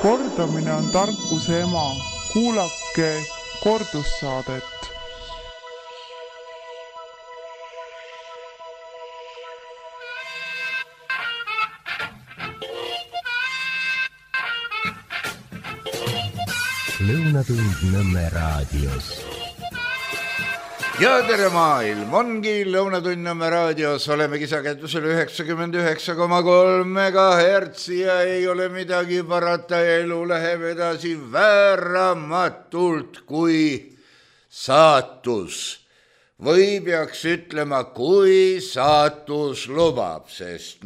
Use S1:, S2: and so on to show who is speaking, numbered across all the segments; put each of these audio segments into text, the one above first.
S1: Kordamine on tarkuse ema. Kuulake kordussaadet.
S2: Lõunatund Nõmme raadios.
S3: Ja tere maailm, ongi Lõunatund Nõmme raadios, olemegi sagedusel 99,3 MHz ja ei ole midagi parata, elu läheb edasi vääramatult kui saatus. Või peaks ütlema, kui saatus lubab, sest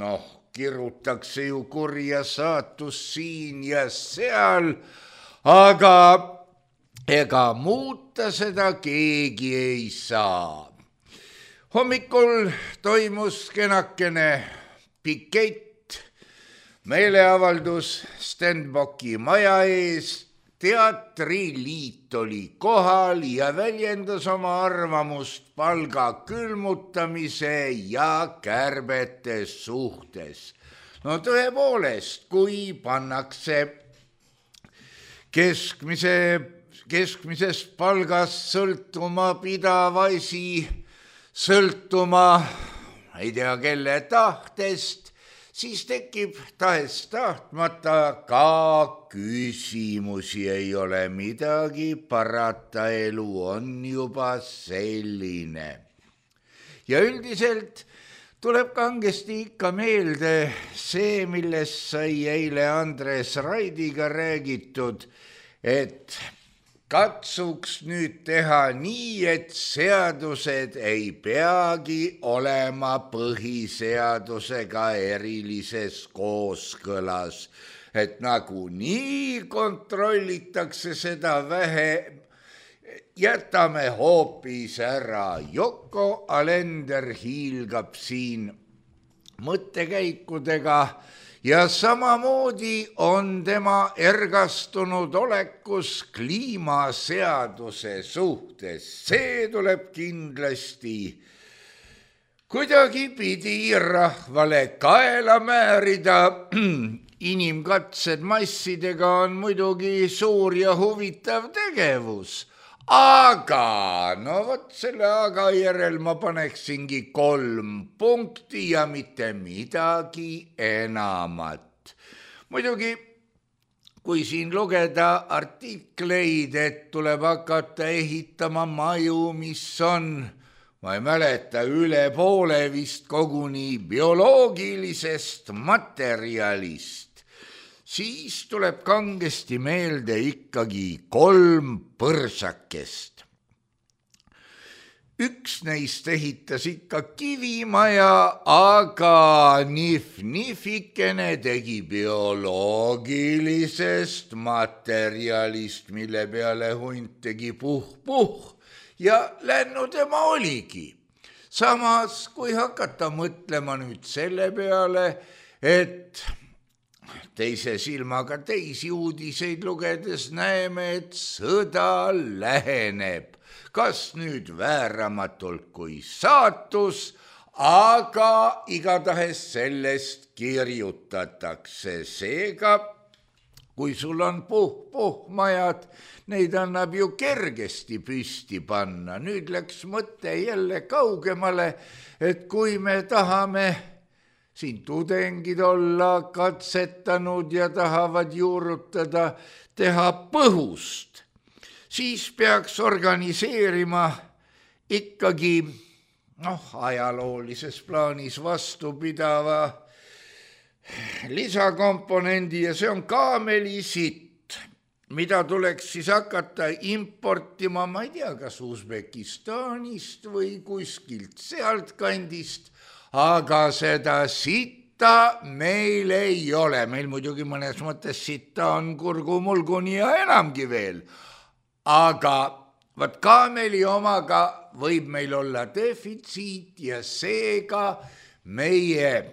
S3: kirutakse ju kurja saatus siin ja seal, aga ega muuta seda keegi ei saa. Hommikul toimus kenakene pikett, meeleavaldus Stenbocki maja ees. Teatriliit oli kohal ja väljendas oma arvamust palga külmutamise ja kärbete suhtes. No tõepoolest, kui pannakse keskmisest palgast sõltuma pidav asi, sõltuma ei tea kelle tahtest, siis tekib tahes-tahtmata ka küsimusi, ei ole midagi parata, elu on juba selline. Ja üldiselt tuleb kangesti ikka meelde see, millest sai eile Andres Raidiga räägitud, et katsuks nüüd teha nii, et seadused ei peagi olema põhiseadusega erilises kooskõlas, et nagunii kontrollitakse seda vähe, jätame hoopis ära. Yoko Alender hiilgab siin mõttekäikudega ja samamoodi on tema ergastunud olekus kliimaseaduse suhtes. See tuleb kindlasti kuidagipidi rahvale kaela määrida. Inimkatsed massidega on muidugi suur ja huvitav tegevus. Aga, vot selle aga järel ma paneksingi 3 punkti ja mitte midagi enamat. Muidugi, kui siin lugeda artikleid, et tuleb hakata ehitama maju, mis on, ma ei mäleta, üle poole vist koguni bioloogilisest materjalist, siis tuleb kangesti meelde ikkagi 3 põrsakest. Üks neist ehitas ikka kivimaja, aga nihfikene tegi bioloogilisest materjalist, mille peale hunt tegi puh-puh ja lännu tema oligi. Samas, kui hakata mõtlema nüüd selle peale, et teise silmaga teisi uudiseid lugedes näeme, et sõda läheneb. Kas nüüd vääramatult kui saatus, aga igatahes sellest kirjutatakse. Seega, kui sul on puh-puh-majad, neid annab ju kergesti püsti panna. Nüüd läks mõte jälle kaugemale, et kui me tahame siin tudengid olla katsetanud ja tahavad juurutada, teha põhust, siis peaks organiseerima ikkagi ajaloolises plaanis vastupidava lisakomponendi ja see on kaamelisitt, mida tuleks siis hakata importima, ma ei tea, kas Usbekistanist või kuskilt sealt kandist, aga seda sitta meil ei ole. Meil muidugi mõnes mõttes sitta on kurgumulguni ja enamgi veel. Aga võt kaameli omaga võib meil olla defitsiit ja seega meie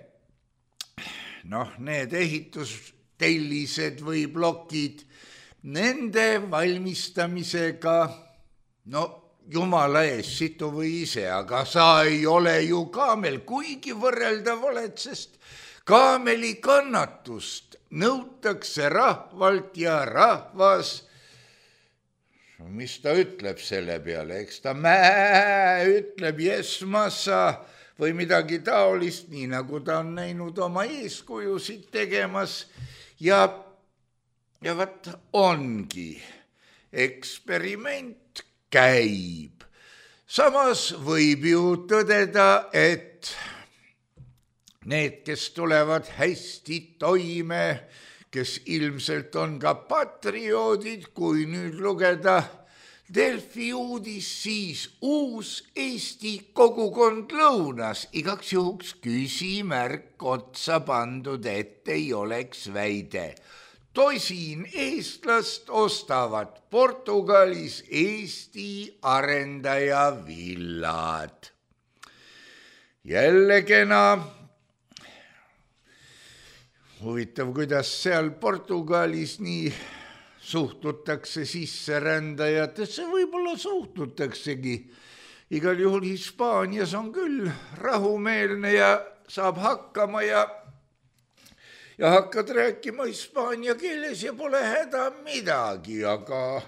S3: need ehitustellised või plokid, nende valmistamisega, jumala ees, situ või ise, aga sa ei ole ju kaamel, kuigi võrreldav oled, sest Kaameli kannatust nõutakse rahvalt ja rahvas, mis ta ütleb selle peale, eks ta ütleb jesmassa või midagi taolist, nii nagu ta on näinud oma eeskujusid tegemas ja vaat ongi, eksperiment käib. Samas võib ju tõdeda, et need, kes tulevad hästi toime, kes ilmselt on ka patrioodid, kui nüüd lugeda Delfi uudis, siis uus Eesti kogukond lõunas, igaks juhuks küsimärk otsa pandud, et ei oleks väide. Tosin eestlast ostavad Portugalis Eesti arendaja villad. Jälle kena. Huvitav, kuidas seal Portugalis nii suhtutakse sisserändajatesse, võib-olla suhtutaksegi. Igal juhul Hispaanias on küll rahumeelne ja saab hakkama ja hakkad rääkima hispaania keeles ja pole häda midagi, aga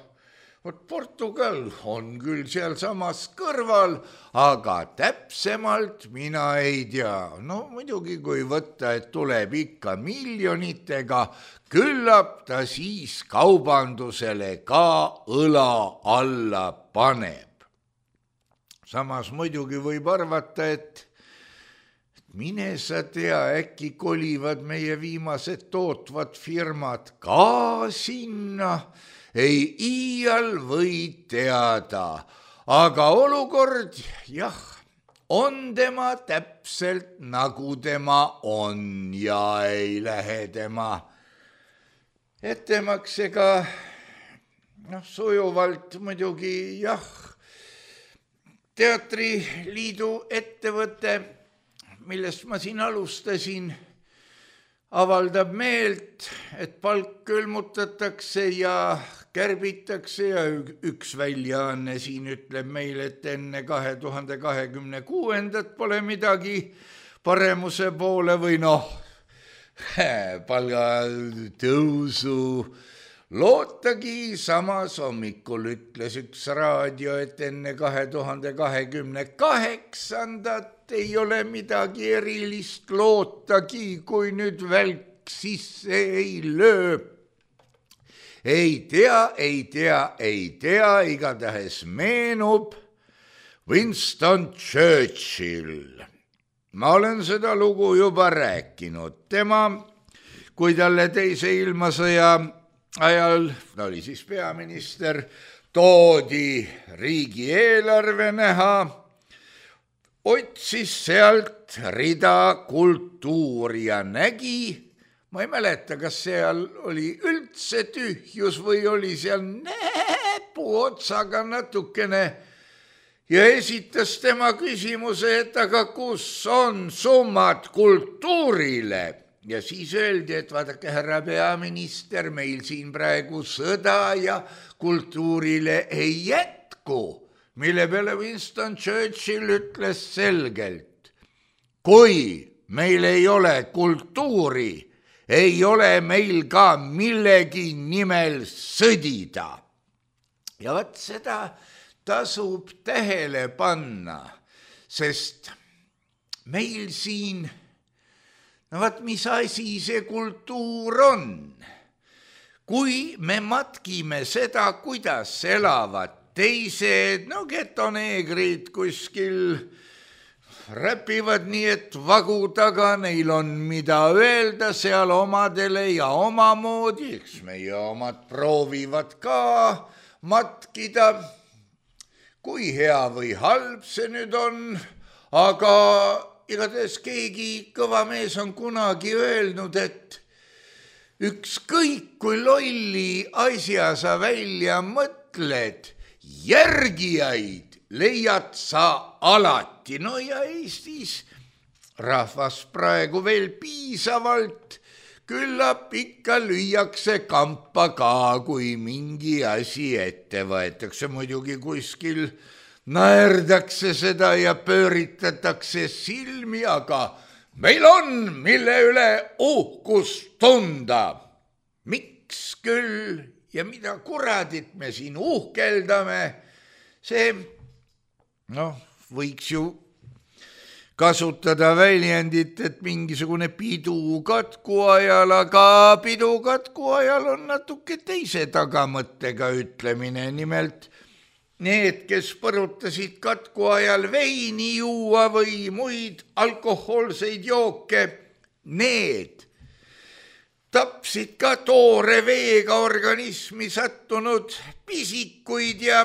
S3: Portugal on küll sealsamas kõrval, aga täpsemalt mina ei tea. No muidugi, kui võtta, et tuleb ikka miljonitega, küllap ta siis kaubandusele ka õla alla paneb. Samas muidugi võib arvata, et mine sa tea, äkki kolivad meie viimased tootvad firmad ka sinna, ei iial või teada, aga olukord, jah, on tema täpselt nagu tema on ja ei lähe tema ettemaksega sujuvalt muidugi, jah. Teatriliidu ettevõte, millest ma siin alustasin, avaldab meelt, et palk külmutatakse ja kärbitakse ja üks väljaanne siin ütleb meile, et enne 2026. Pole midagi paremuse poole või palgatõusu lootagi. Samas hommikul ütles üks raadio, et enne 2028. Ei ole midagi erilist lootagi, kui nüüd välk sisse ei löö. Ei tea, igatahes meenub Winston Churchill. Ma olen seda lugu juba rääkinud. Tema, kui talle teise ilmasõja ajal, ta oli siis peaminister, toodi riigieelarve näha, otsis sealt rida kultuuri ja nägi, ma ei mäleta, kas seal oli üldse tühjus või oli seal näpu otsaga natukene ja esitas tema küsimuse, et aga kus on summad kultuurile? Ja siis öeldi, et vaadake, härra peaminister, meil siin praegu sõda ja kultuurile ei jätku. Mille peale Winston Churchill ütles selgelt, kui meil ei ole kultuuri, ei ole meil ka millegi nimel sõdida. Ja vaat seda tasub tähele panna, sest meil siin, vaat mis asi see kultuur on? Kui me matkime seda, kuidas elavad teised, getoneegrid kuskil räpivad nii, et vagu taga neil on mida öelda seal omadele ja omamoodi, eks meie omad proovivad ka matkida, kui hea või halb see nüüd on, aga igatahes keegi kõva mees on kunagi öelnud, et ükskõik kui lolli asja sa välja mõtled, järgijaid leiad sa alati. No ja Eestis rahvas praegu veel piisavalt, küllap ikka lüüakse kampa ka, kui mingi asi ette võetakse. Muidugi kuskil naerdakse seda ja pööritatakse silmi, aga meil on, mille üle uhkust tunda. Miks küll ja mida kuradit me siin uhkeldame, see, võiks ju kasutada väljendit, et mingisugune pidu katku ajal, aga pidu katku ajal on natuke teise tagamõttega ütlemine. Nimelt need, kes põrutasid katku ajal veini juua või muid alkohoolseid jooke, need tapsid ka toore veega organismi sattunud pisikuid ja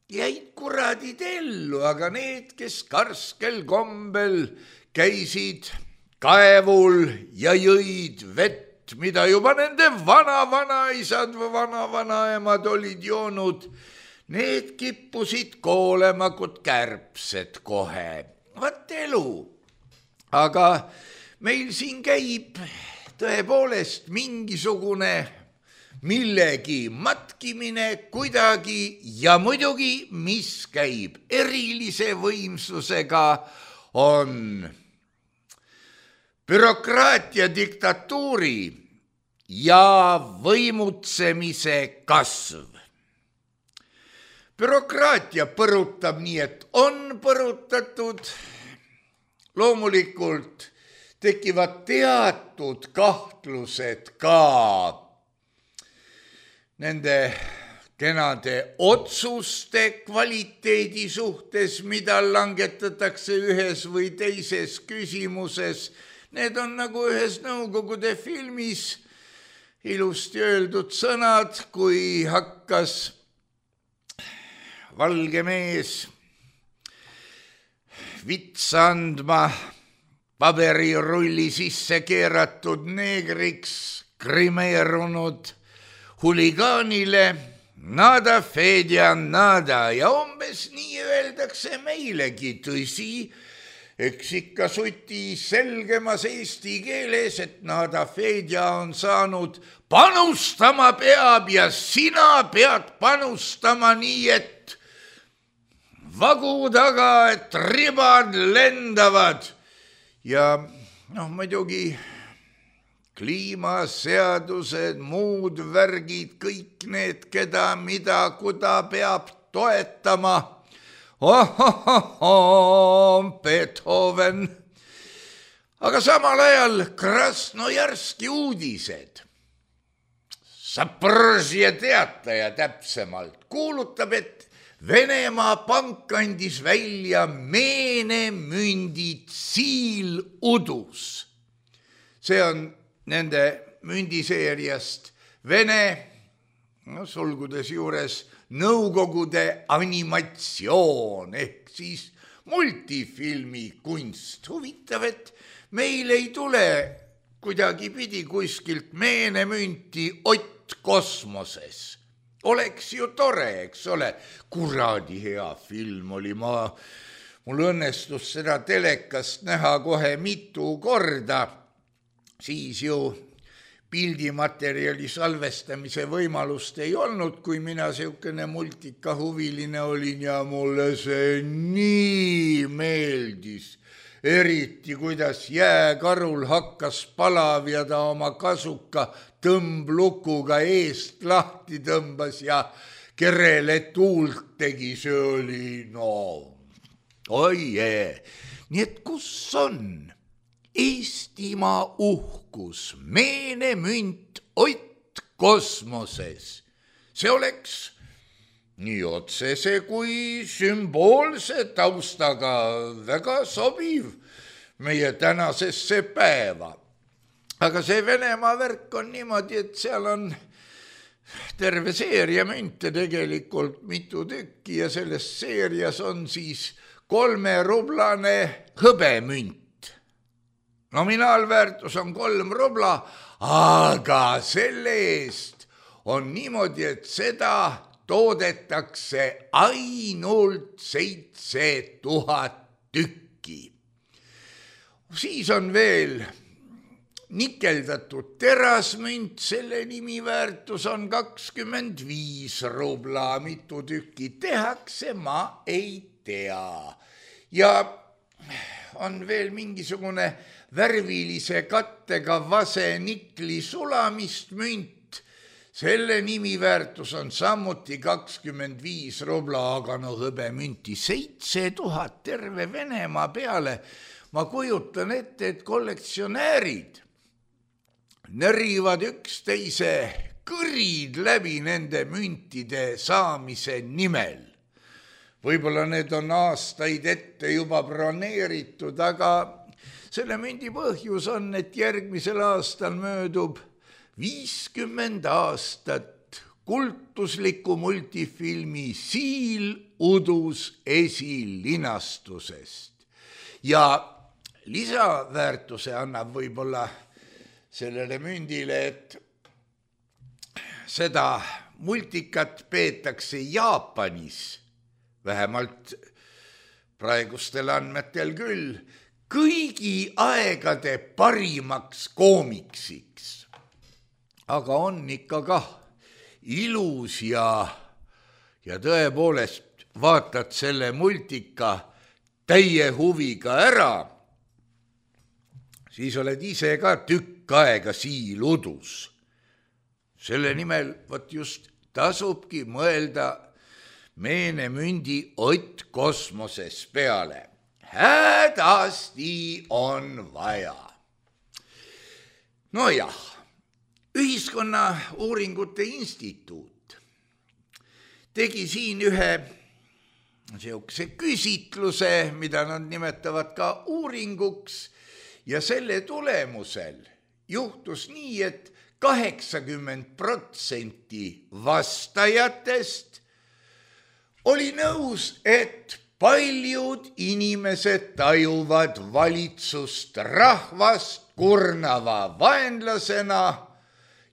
S3: jäid kuradid ellu, aga need, kes karskel kombel käisid kaevul ja jõid vett, mida juba nende vana-vanaisad või vana-vanaemad olid joonud, need kippusid koolema kui kärbsed kohe. Vat elu. Aga meil siin käib tõepoolest mingisugune millegi matkimine kuidagi ja muidugi, mis käib erilise võimsusega, on bürokraatia diktatuuri ja võimutsemise kasv. Bürokraatia põrutab nii, et on põrutatud, loomulikult tekivad teatud kahtlused ka nende kenade otsuste kvaliteedi suhtes, mida langetatakse ühes või teises küsimuses. Need on nagu ühes Nõukogude filmis ilusti öeldud sõnad, kui hakkas valge mees vitsa andma paberirulli sisse keeratud neegriks krimeerunud huligaanile, nada Fedja nada, ja umbes nii öeldakse meilegi, tõsi, eks ikka suti selgemas eesti keeles, et nada Fedja on saanud panustama peab ja sina pead panustama nii, et vagu taga, et ribad lendavad ja muidugi kliimaseadused, muud värgid, kõik need, keda, mida, kuda peab toetama. Beethoven. Aga samal ajal Krasnojarski uudised. Sapõržje teataja täpsemalt kuulutab, et Venemaa pank andis välja meenemündi tsiiludus. See on nende mündiseeriast Vene, sulgudes juures Nõukogude animatsioon ehk siis multifilmi kunst. Huvitav, et meil ei tule kuidagipidi kuskilt meenemünti Ott kosmoses. Oleks ju tore, eks ole, kuradi hea film oli, mul õnnestus seda telekast näha kohe mitu korda. Siis ju pildimaterjali salvestamise võimalust ei olnud, kui mina siukene multikahuviline olin ja mulle see nii meeldis. Eriti, kuidas jääkarul hakkas palavjada oma kasuka tõmblukuga eest lahti tõmbas ja kerele tuult tegi, see oli oie. Nii et kus on Eestimaa uhkus, meenemünt Ott kosmoses? See oleks nii otsese kui sümboolse taustaga väga sobiv meie tänasesse päeva. Aga see Venemaa värk on niimoodi, et seal on terve seeria münte tegelikult mitu tükki ja selles seerias on siis 3-rublane hõbemünt. Nominaalväärtus on 3 rubla, aga selle eest on niimoodi, et seda toodetakse ainult 7000 tükki. Siis on veel nikeldatud terasmünt, selle nimiväärtus on 25 rubla, mitu tükki tehakse, ma ei tea. Ja on veel mingisugune värvilise kattega vasenikli sulamist münt. Selle nimiväärtus on samuti 25 rubla, aga no hõbemünti 7000 terve Venemaa peale. Ma kujutan ette, et kollektsionäärid närrivad üksteise kõrid läbi nende müntide saamise nimel. Võib-olla need on aastaid ette juba broneeritud, aga selle mündi põhjus on, et järgmisel aastal möödub 50 aastat kultusliku multifilmi Siil udus esilinastusest. Ja lisaväärtuse annab võib-olla sellele mündile, et seda multikat peetakse Jaapanis, vähemalt praegustel andmetel küll, kõigi aegade parimaks koomiksiks. Aga on ikka kah ilus ja tõepoolest vaatad selle multika täie huviga ära, siis oled ise ka tükk aega Siil udus. Selle nimel võt just tasubki mõelda meenemündi Ott kosmoses peale. Hädasti on vaja. Nojah, Ühiskonnauuringute Instituut tegi siin ühe sihukese küsitluse, mida nad nimetavad ka uuringuks, ja selle tulemusel juhtus nii, et 80% vastajatest oli nõus, et paljud inimesed tajuvad valitsust rahvast kurnava vaenlasena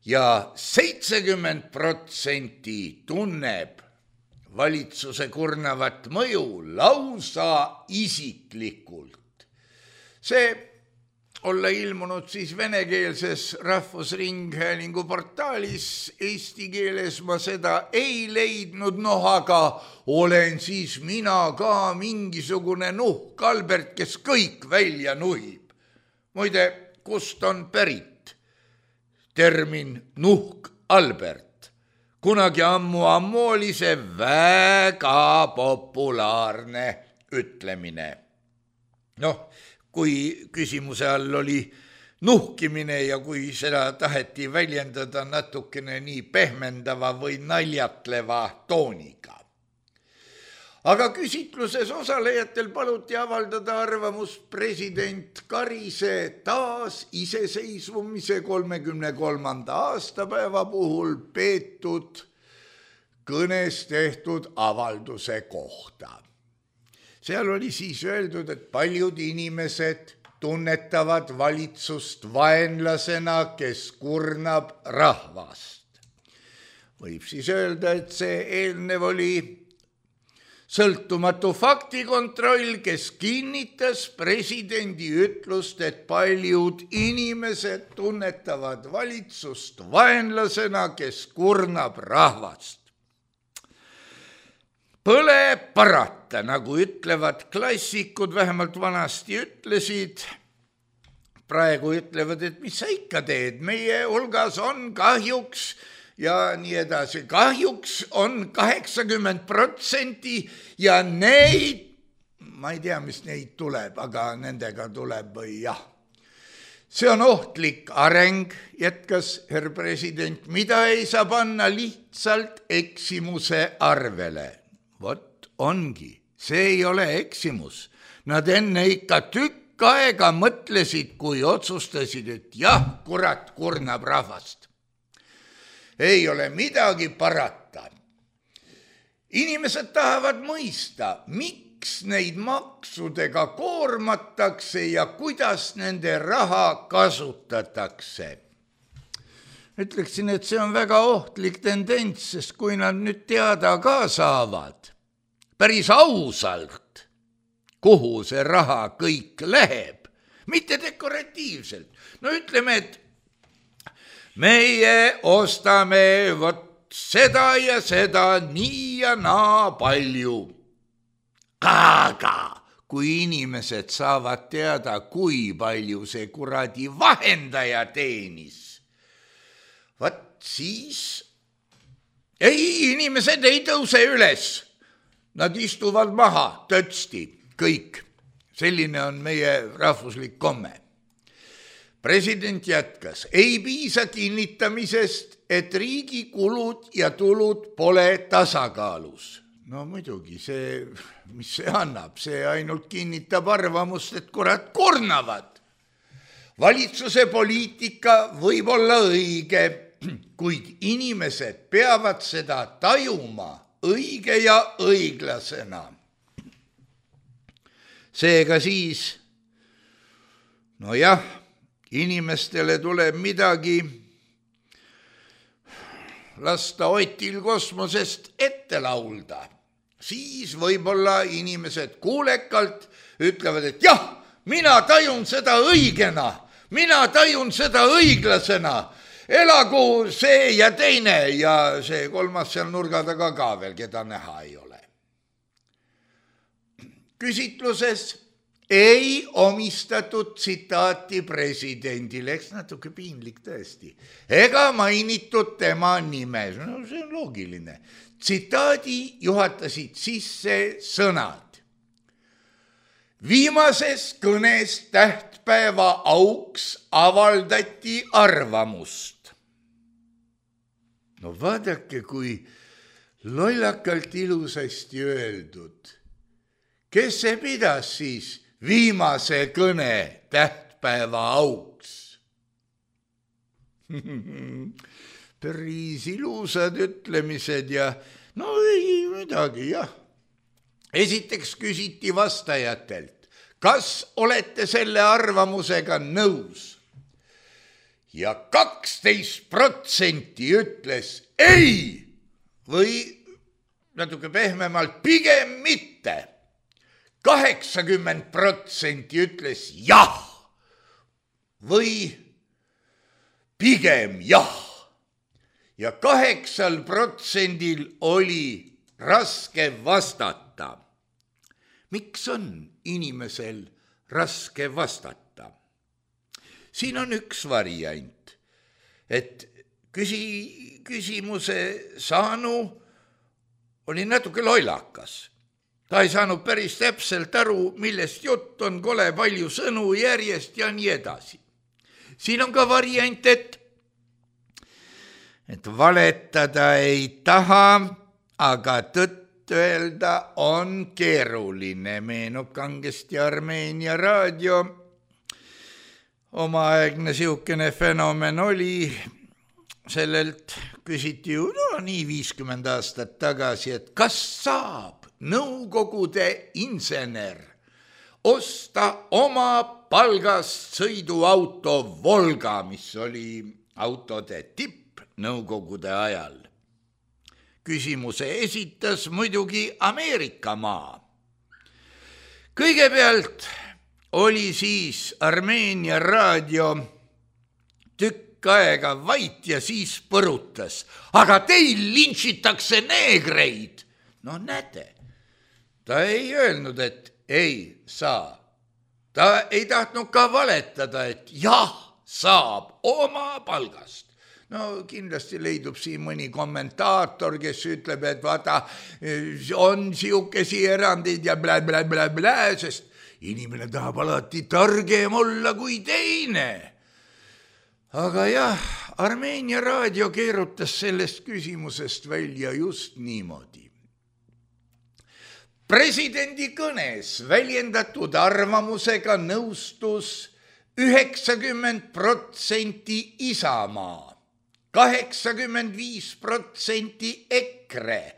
S3: ja 70% tunneb valitsuse kurnavat mõju lausa isiklikult. See olla ilmunud siis venekeelses Rahvusringhäälingu portaalis, eesti keeles ma seda ei leidnud, aga olen siis mina ka mingisugune nuhk Albert, kes kõik välja nuhib. Muide, kust on pärit termin nuhk Albert? Kunagi ammu oli see väga populaarne ütlemine. Kui küsimuse all oli nuhkimine ja kui seda taheti väljendada natukene nii pehmendava või naljatleva tooniga. Aga küsitluses osalejatel paluti avaldada arvamust president Karise taas iseseisvumise 33. aastapäeva puhul peetud kõnes tehtud avalduse kohta. Seal oli siis öeldud, et paljud inimesed tunnetavad valitsust vaenlasena, kes kurnab rahvast. Võib siis öelda, et see eelnev oli sõltumatu faktikontroll, kes kinnitas presidendi ütlust, et paljud inimesed tunnetavad valitsust vaenlasena, kes kurnab rahvast. Põle parata, nagu ütlevad klassikud, vähemalt vanasti ütlesid, praegu ütlevad, et mis sa ikka teed, meie hulgas on kahjuks ja nii edasi. Kahjuks on 80% ja neid, ma ei tea, mis neid tuleb, aga nendega tuleb või jah. See on ohtlik areng, jätkas herr president, mida ei saa panna lihtsalt eksimuse arvele. Vot ongi, see ei ole eksimus. Nad enne ikka tükk aega mõtlesid, kui otsustasid, et jah, kurat kurnab rahvast. Ei ole midagi parata. Inimesed tahavad mõista, miks neid maksudega koormatakse ja kuidas nende raha kasutatakse. Ütleksin, et see on väga ohtlik tendents, sest kui nad nüüd teada ka saavad, päris ausalt, kuhu see raha kõik läheb, mitte dekoratiivselt. Ütleme, et meie ostame vot seda ja seda nii ja naa palju. Aga kui inimesed saavad teada, kui palju see kuradi vahendaja teenis, vaat siis inimesed ei tõuse üles. Nad istuvad maha tõtsti, kõik. Selline on meie rahvuslik komme. President jätkas, ei piisa kinnitamisest, et riigi kulud ja tulud pole tasakaalus. No muidugi, mis see annab? See ainult kinnitab arvamust, et kurat kurnavad. Valitsuse poliitika võib olla õige, kuid inimesed peavad seda tajuma õige ja õiglasena. Seega siis, nojah, inimestele tuleb midagi lasta Otil kosmosest ette laulda. Siis võib-olla inimesed kuulekalt ütlevad, et jah, mina tajun seda õigena, mina tajun seda õiglasena. Elagu see ja teine ja see kolmas seal nurga taga ka veel, keda näha ei ole. Küsitluses ei omistatud tsitaati presidendile, eks natuke piinlik tõesti, ega mainitud tema nime, no see on loogiline. Tsitaadi juhatasid sisse sõnad. Viimases kõnes tähtpäeva auks avaldati arvamust. No vaadake, kui lollakalt ilusasti öeldud. Kes see pidas siis viimase kõne tähtpäeva auks? Päris ilusad ütlemised ja no ei midagi, jah. Esiteks küsiti vastajatelt, kas olete selle arvamusega nõus? Ja 12% ütles ei või natuke pehmemalt pigem mitte. 80% ütles jah või pigem jah. Ja 8% oli raske vastata. Miks on inimesel raske vastata? Siin on üks variant, et küsimuse saanu oli natuke lollakas. Ta ei saanud päris täpselt aru, millest jutt on, kole palju sõnu järjest ja nii edasi. Siin on ka variant, et valetada ei taha, aga tõtt öelda on keeruline. Meenub kangesti Armeenia raadio. Omaaegne siukene fenomen oli, sellelt küsiti ju nii 50 aastat tagasi, et kas saab Nõukogude insener osta oma palgast sõiduauto Volga, mis oli autode tipp Nõukogude ajal. Küsimuse esitas muidugi Ameerika maa. Kõigepealt oli siis Armeenia raadio tükk aega vait ja siis põrutas. Aga teil lintšitakse neegreid. No näete, ta ei öelnud, et ei saa. Ta ei tahtnud ka valetada, et jah, saab oma palgast. No kindlasti leidub siin mõni kommentaator, kes ütleb, et vaata, on siukesi erandid ja blä, sest inimene tahab alati targem olla kui teine. Aga jah, Armeenia raadio keerutas sellest küsimusest välja just niimoodi. Presidendi kõnes väljendatud arvamusega nõustus 90% Isamaa, 85% EKRE,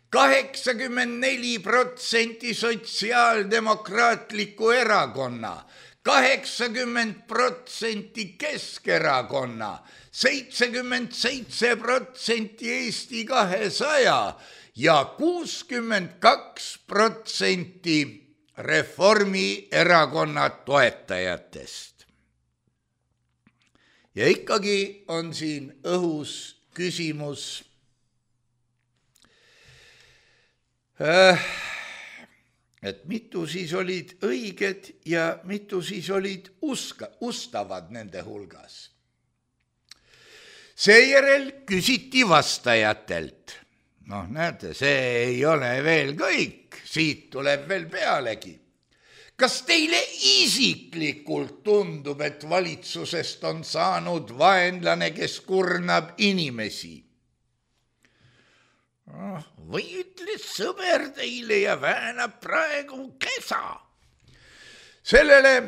S3: 84% Sotsiaaldemokraatliku erakonna, 80% Keskerakonna, 77% Eesti 200 ja 62% Reformierakonna toetajatest. Ja ikkagi on siin õhus küsimus, et mitu siis olid õiged ja mitu siis olid ustavad nende hulgas. Seejärel küsiti vastajatelt. Näete, see ei ole veel kõik, siit tuleb veel pealegi. Kas teile isiklikult tundub, et valitsusest on saanud vaenlane, kes kurnab inimesi? Või ütles sõber teile ja väänab praegu kesa? Sellele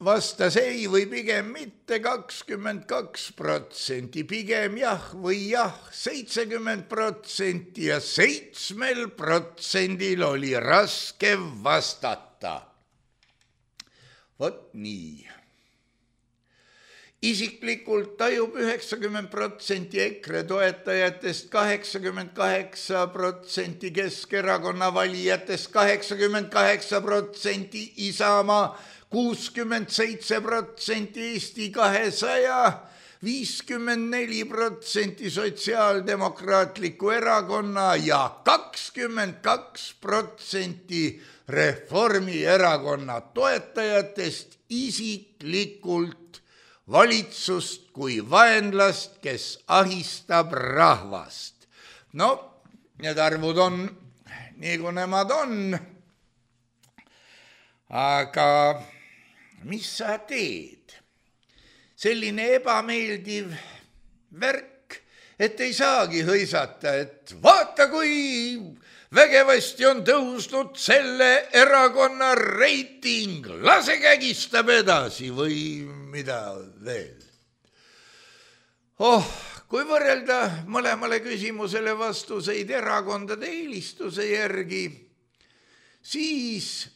S3: vastas ei või pigem mitte 22%, pigem jah või jah 70% ja 7% oli raske vastata. Vot nii. Isiklikult tajub 90% EKRE toetajatest, 88% Keskerakonna valijatest, 88% Isamaa, 67% Eesti 200, 54% Sotsiaaldemokraatliku erakonna ja 22% Reformierakonna toetajatest isiklikult valitsust kui vaenlast, kes ahistab rahvast. Need arvud on nii, kui nemad on. Aga mis sa teed? Selline ebameeldiv värk, et ei saagi hõisata, et vaata, kui vägevasti on tõusnud selle erakonna reiting, lase kägistab edasi või mida veel. Kui võrrelda mõlemale küsimusele vastuseid erakondade eelistuse järgi, siis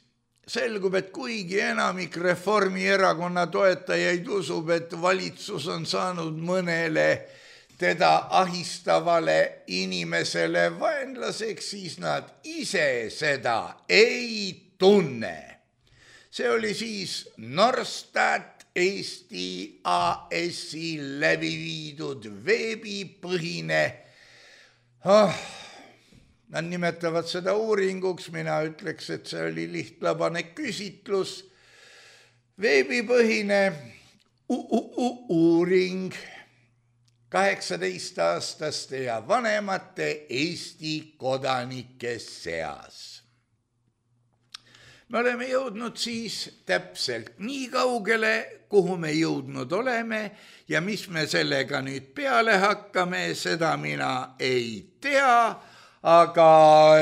S3: selgub, et kuigi enamik Reformierakonna toetajaid usub, et valitsus on saanud mõnele teda ahistavale inimesele vaenlaseks, siis nad ise seda ei tunne. See oli siis Norstat Eesti AS-i läbi viidud veebipõhine, nad nimetavad seda uuringuks, mina ütleks, et see oli lihtlabane küsitlus, veebipõhine uuring 18-aastaste ja vanemate Eesti kodanike seas. Me oleme jõudnud siis täpselt nii kaugele, kuhu me jõudnud oleme ja mis me sellega nüüd peale hakkame, seda mina ei tea, aga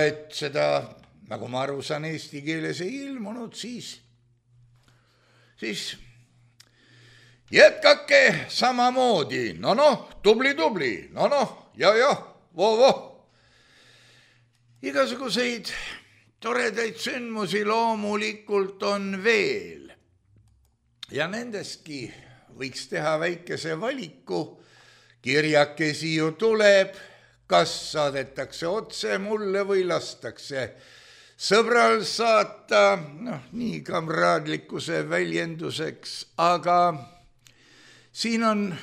S3: et seda, nagu ma aru saan, eesti keeles ei ilmunud, siis jätkake samamoodi, tubli, ja, voh. Igasuguseid toredaid sündmusi loomulikult on veel ja nendestki võiks teha väikese valiku, kirjakesi ju tuleb, kas saadetakse otse mulle või lastakse sõbral saata, nii kamraadlikkuse väljenduseks, aga siin on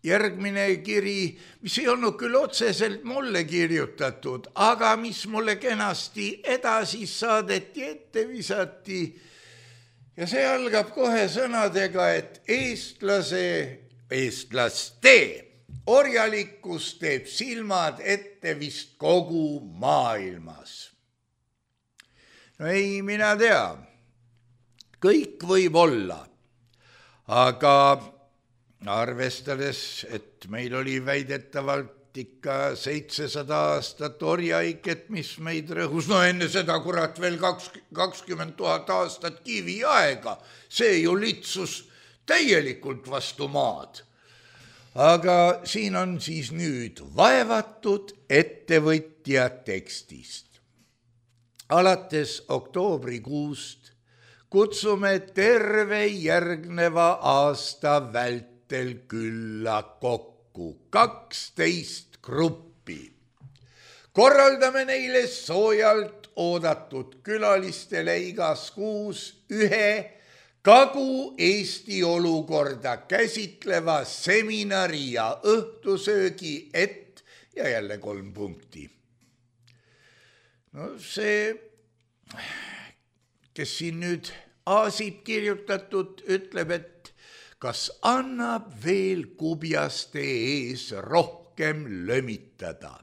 S3: järgmine kiri, mis ei olnud küll otseselt mulle kirjutatud, aga mis mulle kenasti edasi saadeti, ette visati. Ja see algab kohe sõnadega, et eestlaste orjalikkus teeb silmad ette vist kogu maailmas. Ei, mina tea, kõik võib olla, aga arvestades, et meil oli väidetavalt ikka 700 aastat orjaiket, mis meid rõhus, enne seda kurat veel 20 000 aastat kiviaega, see ju litsus täielikult vastu maad. Aga siin on siis nüüd vaevatud ettevõtja tekstist. Alates oktoobrikuust kutsume terve järgneva aasta vältel külla kokku 12 gruppi. Korraldame neile soojalt oodatud külalistele igas kuus ühe Kagu-Eesti olukorda käsitleva seminari ja õhtusöögi ja jälle 3 punkti. See kes siin nüüd aasib kirjutatud, ütleb, et kas annab veel kubjaste ees rohkem lömitada.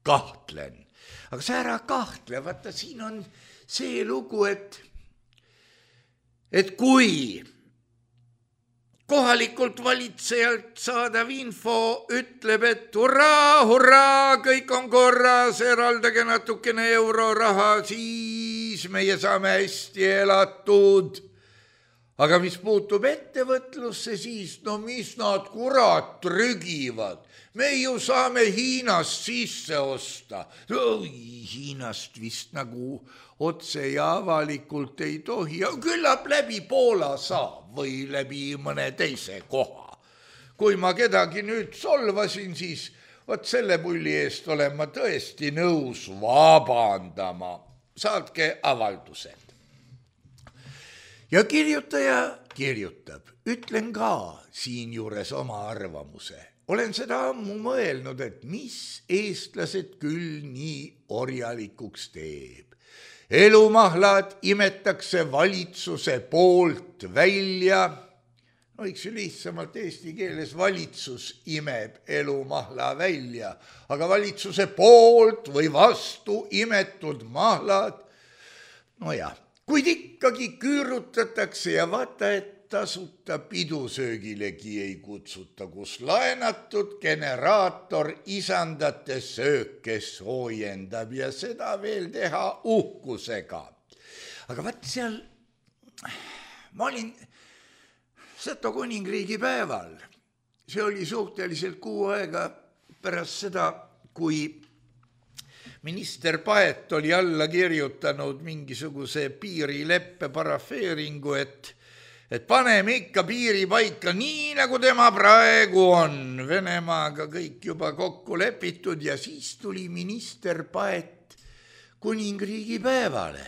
S3: Kahtlen. Aga sa ära kahtle, vaata siin on see lugu, et kui kohalikult valitsejalt saadav info ütleb, et hurraa, hurraa, kõik on korras, eraldage natukene euroraha, siis meie saame hästi elatud. Aga mis puutub ettevõtlusse, siis no mis nad kurat trügivad. Me ju saame Hiinast sisse osta. Hiinast vist nagu otse ja avalikult ei tohi. Küllap läbi Poola saab või läbi mõne teise koha. Kui ma kedagi nüüd solvasin, siis vot selle pulli eest olen ma tõesti nõus vabandama. Saatke avaldused. Ja kirjutaja kirjutab, ütlen ka siinjuures oma arvamuse. Olen seda ammu mõelnud, et mis eestlased küll nii orjalikuks teeb. Elumahlad imetakse valitsuse poolt välja. No võiks ju lihtsamalt eesti keeles valitsus imeb elumahla välja, aga valitsuse poolt või vastu imetud mahlad, no jah. Kuid ikkagi küürutatakse ja vaata, et tasuta pidusöögilegi ei kutsuta, kus laenatud generaator isandate sööke soojendab ja seda veel teha uhkusega. Aga vaat seal, ma olin Seto kuningriigi päeval, see oli suhteliselt kuu aega pärast seda, kui minister Paet oli alla kirjutanud mingisuguse piirileppe parafeeringu, et paneme ikka piiri paika nii, nagu tema praegu on. Venemaaga kõik juba kokku lepitud ja siis tuli minister Paet kuningriigi päevale.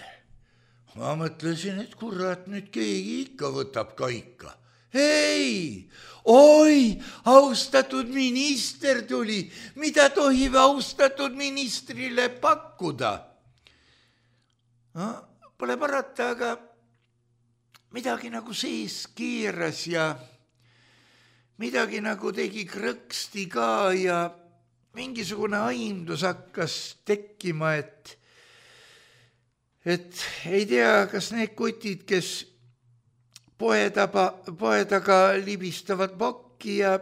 S3: Ma mõtlesin, et kurat, nüüd keegi ikka võtab kaika. Ei, oi, austatud minister tuli, mida tohib austatud ministrile pakkuda? No, pole parata, aga midagi nagu sees keeras ja midagi nagu tegi krõksti ka ja mingisugune aimdus hakkas tekkima, et ei tea, kas need kutid, kes poe taga libistavad pokki ja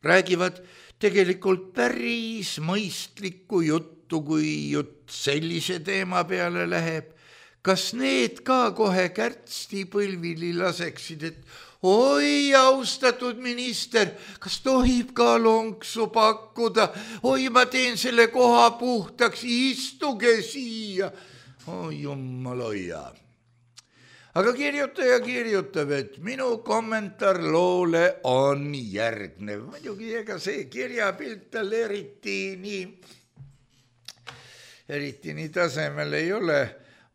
S3: räägivad tegelikult päris mõistlikku juttu, kui jutt sellise teema peale läheb. Kas need ka kohe kärtsti põlvili laseksid, et oi, austatud minister, kas tohib ka lonksu pakkuda? Oi, ma teen selle koha puhtaks, istuge siia. Oi, jumal hoia. Aga kirjutaja kirjutab, et minu kommentaar loole on järgnev. Muidugi ega see kirjapilt tal eriti nii tasemel ei ole.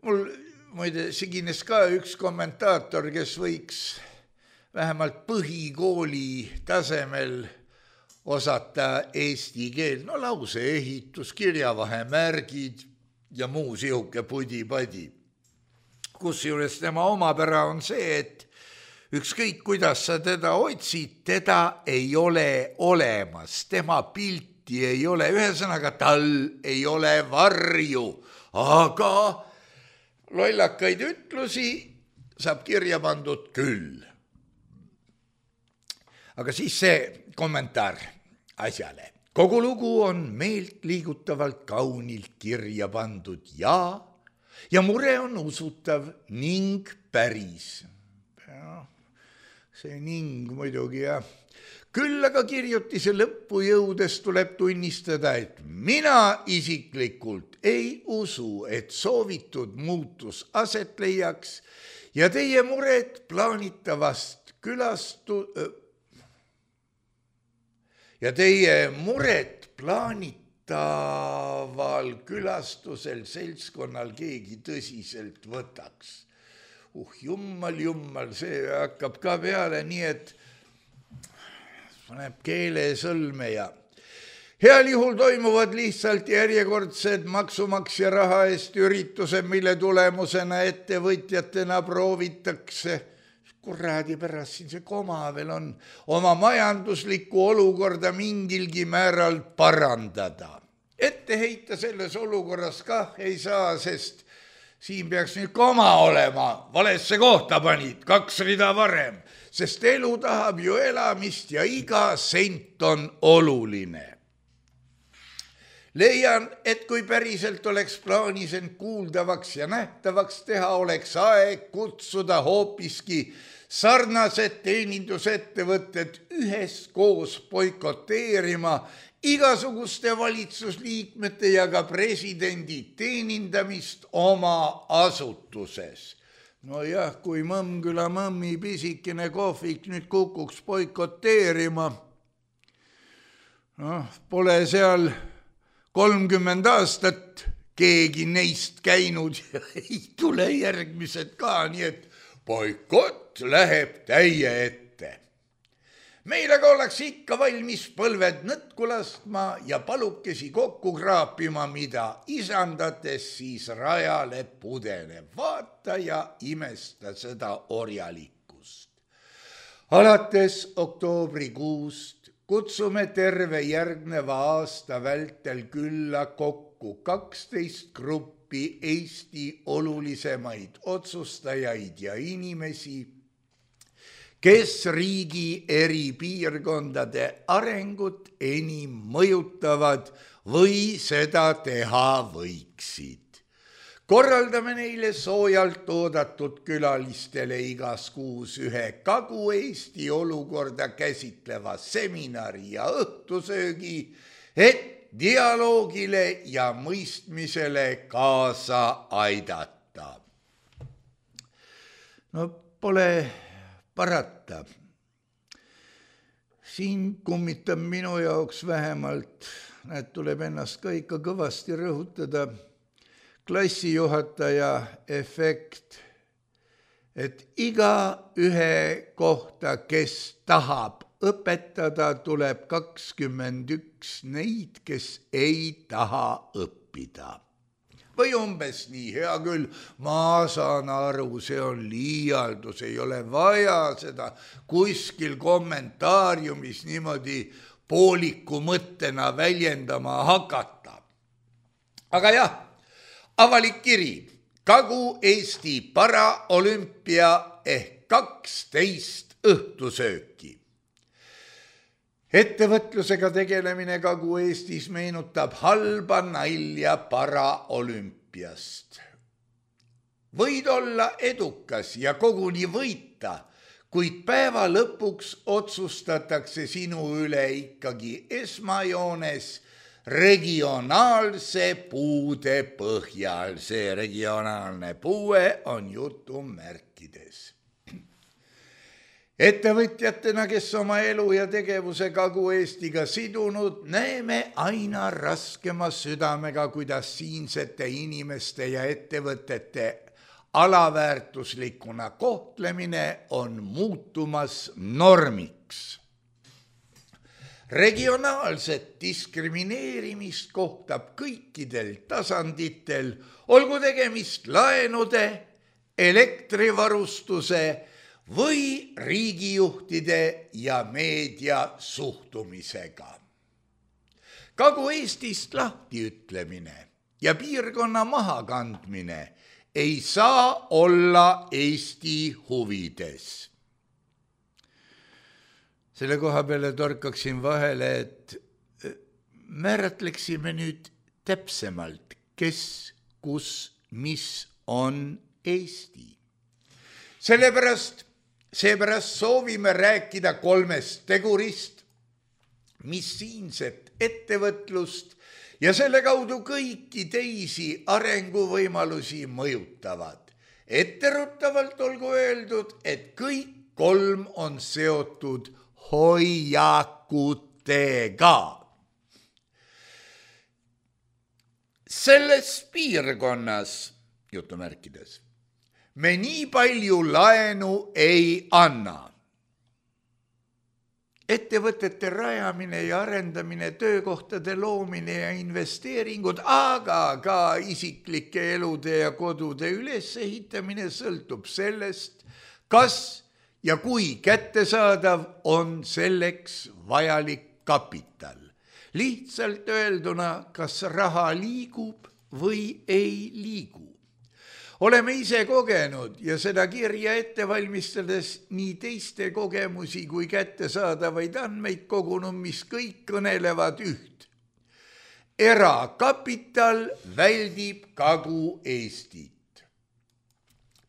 S3: Mul muide sigines ka üks kommentaator, kes võiks vähemalt põhikooli tasemel osata eesti keel. No lause ehitus, kirjavahemärgid ja muu sihuke pudi-padi. Kusjuures tema omapära on see, et ükskõik kuidas sa teda otsid, teda ei ole olemas, tema pilti ei ole, ühesõnaga tal ei ole varju, aga lollakaid ütlusi saab kirja pandud küll. Aga siis see kommentaar asjale. Kogu lugu on meelt liigutavalt kaunilt kirja pandud ja mure on usutav ning päris. See ning muidugi jah. Küll aga kirjutise lõppu jõudes tuleb tunnistada, et mina isiklikult ei usu, et soovitud muutus aset leiaks ja teie mured plaanitavast plaanitaval külastusel seltskonnal keegi tõsiselt võtaks. Jummal, see hakkab ka peale nii, et paneb keele sõlme ja Heal juhul toimuvad lihtsalt järjekordsed maksumaksja raha eest üritused, mille tulemusena ettevõtjatena proovitakse, kuradi pärast siin see koma veel on, oma majanduslikku olukorda mingilgi määral parandada. Ette heita selles olukorras kah ei saa, sest siin peaks nüüd koma olema, valesse kohta panid, 2 rida varem, sest elu tahab ju elamist ja iga sent on oluline. Leian, et kui päriselt oleks plaanis end kuuldavaks ja nähtavaks teha, oleks aeg kutsuda hoopiski sarnased teenindusettevõtted üheskoos boikoteerima igasuguste valitsusliikmete ja ka presidendi teenindamist oma asutuses. No jah, kui Mõmmküla mõmmi pisikene kohvik nüüd kukuks boikoteerima, pole seal 30 aastat keegi neist käinud ja ei tule järgmised ka, nii et boikott läheb täie ette. Meil aga oleks ikka valmis põlved nõtku laskma ja palukesi kokku kraapima, mida isandates siis rajale pudeneb. Vaata ja imesta seda orjalikkust. Alates oktoobrikuust kutsume terve järgneva aasta vältel külla kokku 12 gruppi Eesti olulisemaid otsustajaid ja inimesi, kes riigi eri piirkondade arengut enim mõjutavad või seda teha võiksid. Korraldame neile soojalt oodatud külalistele igas kuus ühe Kagu-Eesti olukorda käsitleva seminari ja õhtusöögi, et dialoogile ja mõistmisele kaasa aidata. No pole parata. Siin kummitab minu jaoks vähemalt, tuleb ennast ka ikka kõvasti rõhutada, klassijuhataja efekt, et iga ühe kohta, kes tahab õpetada, tuleb 21 neid, kes ei taha õppida. Või umbes nii, hea küll, ma saan aru, see on liialdus, ei ole vaja seda kuskil kommentaariumis niimoodi pooliku mõttena väljendama hakata. Aga jah, avalik kiri, Kagu-Eesti paraolümpia ehk 12 õhtusööki. Ettevõtlusega tegelemine Kagu-Eestis meenutab halba nalja paraolümpiast. Võid olla edukas ja koguni võita, kuid päeva lõpuks otsustatakse sinu üle ikkagi esmajoones regionaalse puude põhjal. See regionaalne puue on jutumärkides. Ettevõtjatena, kes oma elu ja tegevuse Kagu-Eestiga sidunud, näeme aina raskema südamega, kuidas siinsete inimeste ja ettevõtete alaväärtuslikuna kohtlemine on muutumas normiks. Regionaalset diskrimineerimist kohtab kõikidel tasanditel, olgu tegemist laenude, elektrivarustuse või riigijuhtide ja meedia suhtumisega. Kagu-Eestist lahtiütlemine ja piirkonna mahakandmine ei saa olla Eesti huvides. Selle koha peale torkaksin vahele, et määratleksime nüüd täpsemalt, kes, kus, mis on Eesti. Seepärast soovime rääkida 3 tegurist, mis siinset ettevõtlust ja selle kaudu kõiki teisi arenguvõimalusi mõjutavad. Etteruttavalt olgu öeldud, et kõik 3 on seotud hoiakutega. Selles piirkonnas, jutumärkides, me nii palju laenu ei anna. ettevõtete rajamine ja arendamine, töökohtade loomine ja investeeringud, aga ka isiklike elude ja kodude ülesehitamine sõltub sellest, kas ja kui kättesaadav on selleks vajalik kapital. Lihtsalt öelduna, kas raha liigub või ei liigu. Oleme ise kogenud ja seda kirja ette valmistades nii teiste kogemusi kui kättesaadavaid andmeid kogunud, mis kõik kõnelevad üht. Erakapital väldib Kagu-Eestit.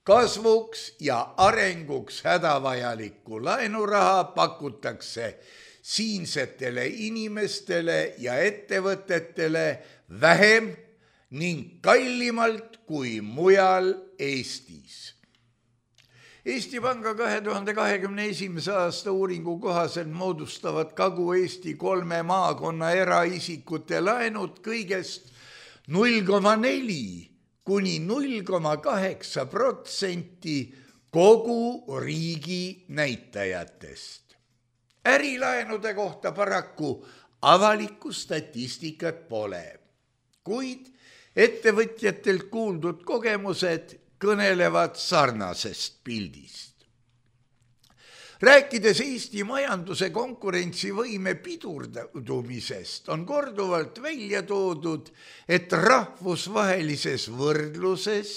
S3: Kasvuks ja arenguks hädavajalikku laenuraha pakutakse siinsetele inimestele ja ettevõtetele vähem ning kallimalt kui mujal Eestis. Eesti Panga 2021. aasta uuringu kohaselt moodustavad Kagu-Eesti 3 maakonna eraisikute laenud kõigest 0,4 kuni 0,8% kogu riigi näitajatest. Ärilaenude kohta paraku avalikku statistikat pole, kuid ettevõtjatelt kuuldud kogemused kõnelevad sarnasest pildist. Rääkides Eesti majanduse konkurentsivõime pidurdumisest, on korduvalt välja toodud, et rahvusvahelises võrdluses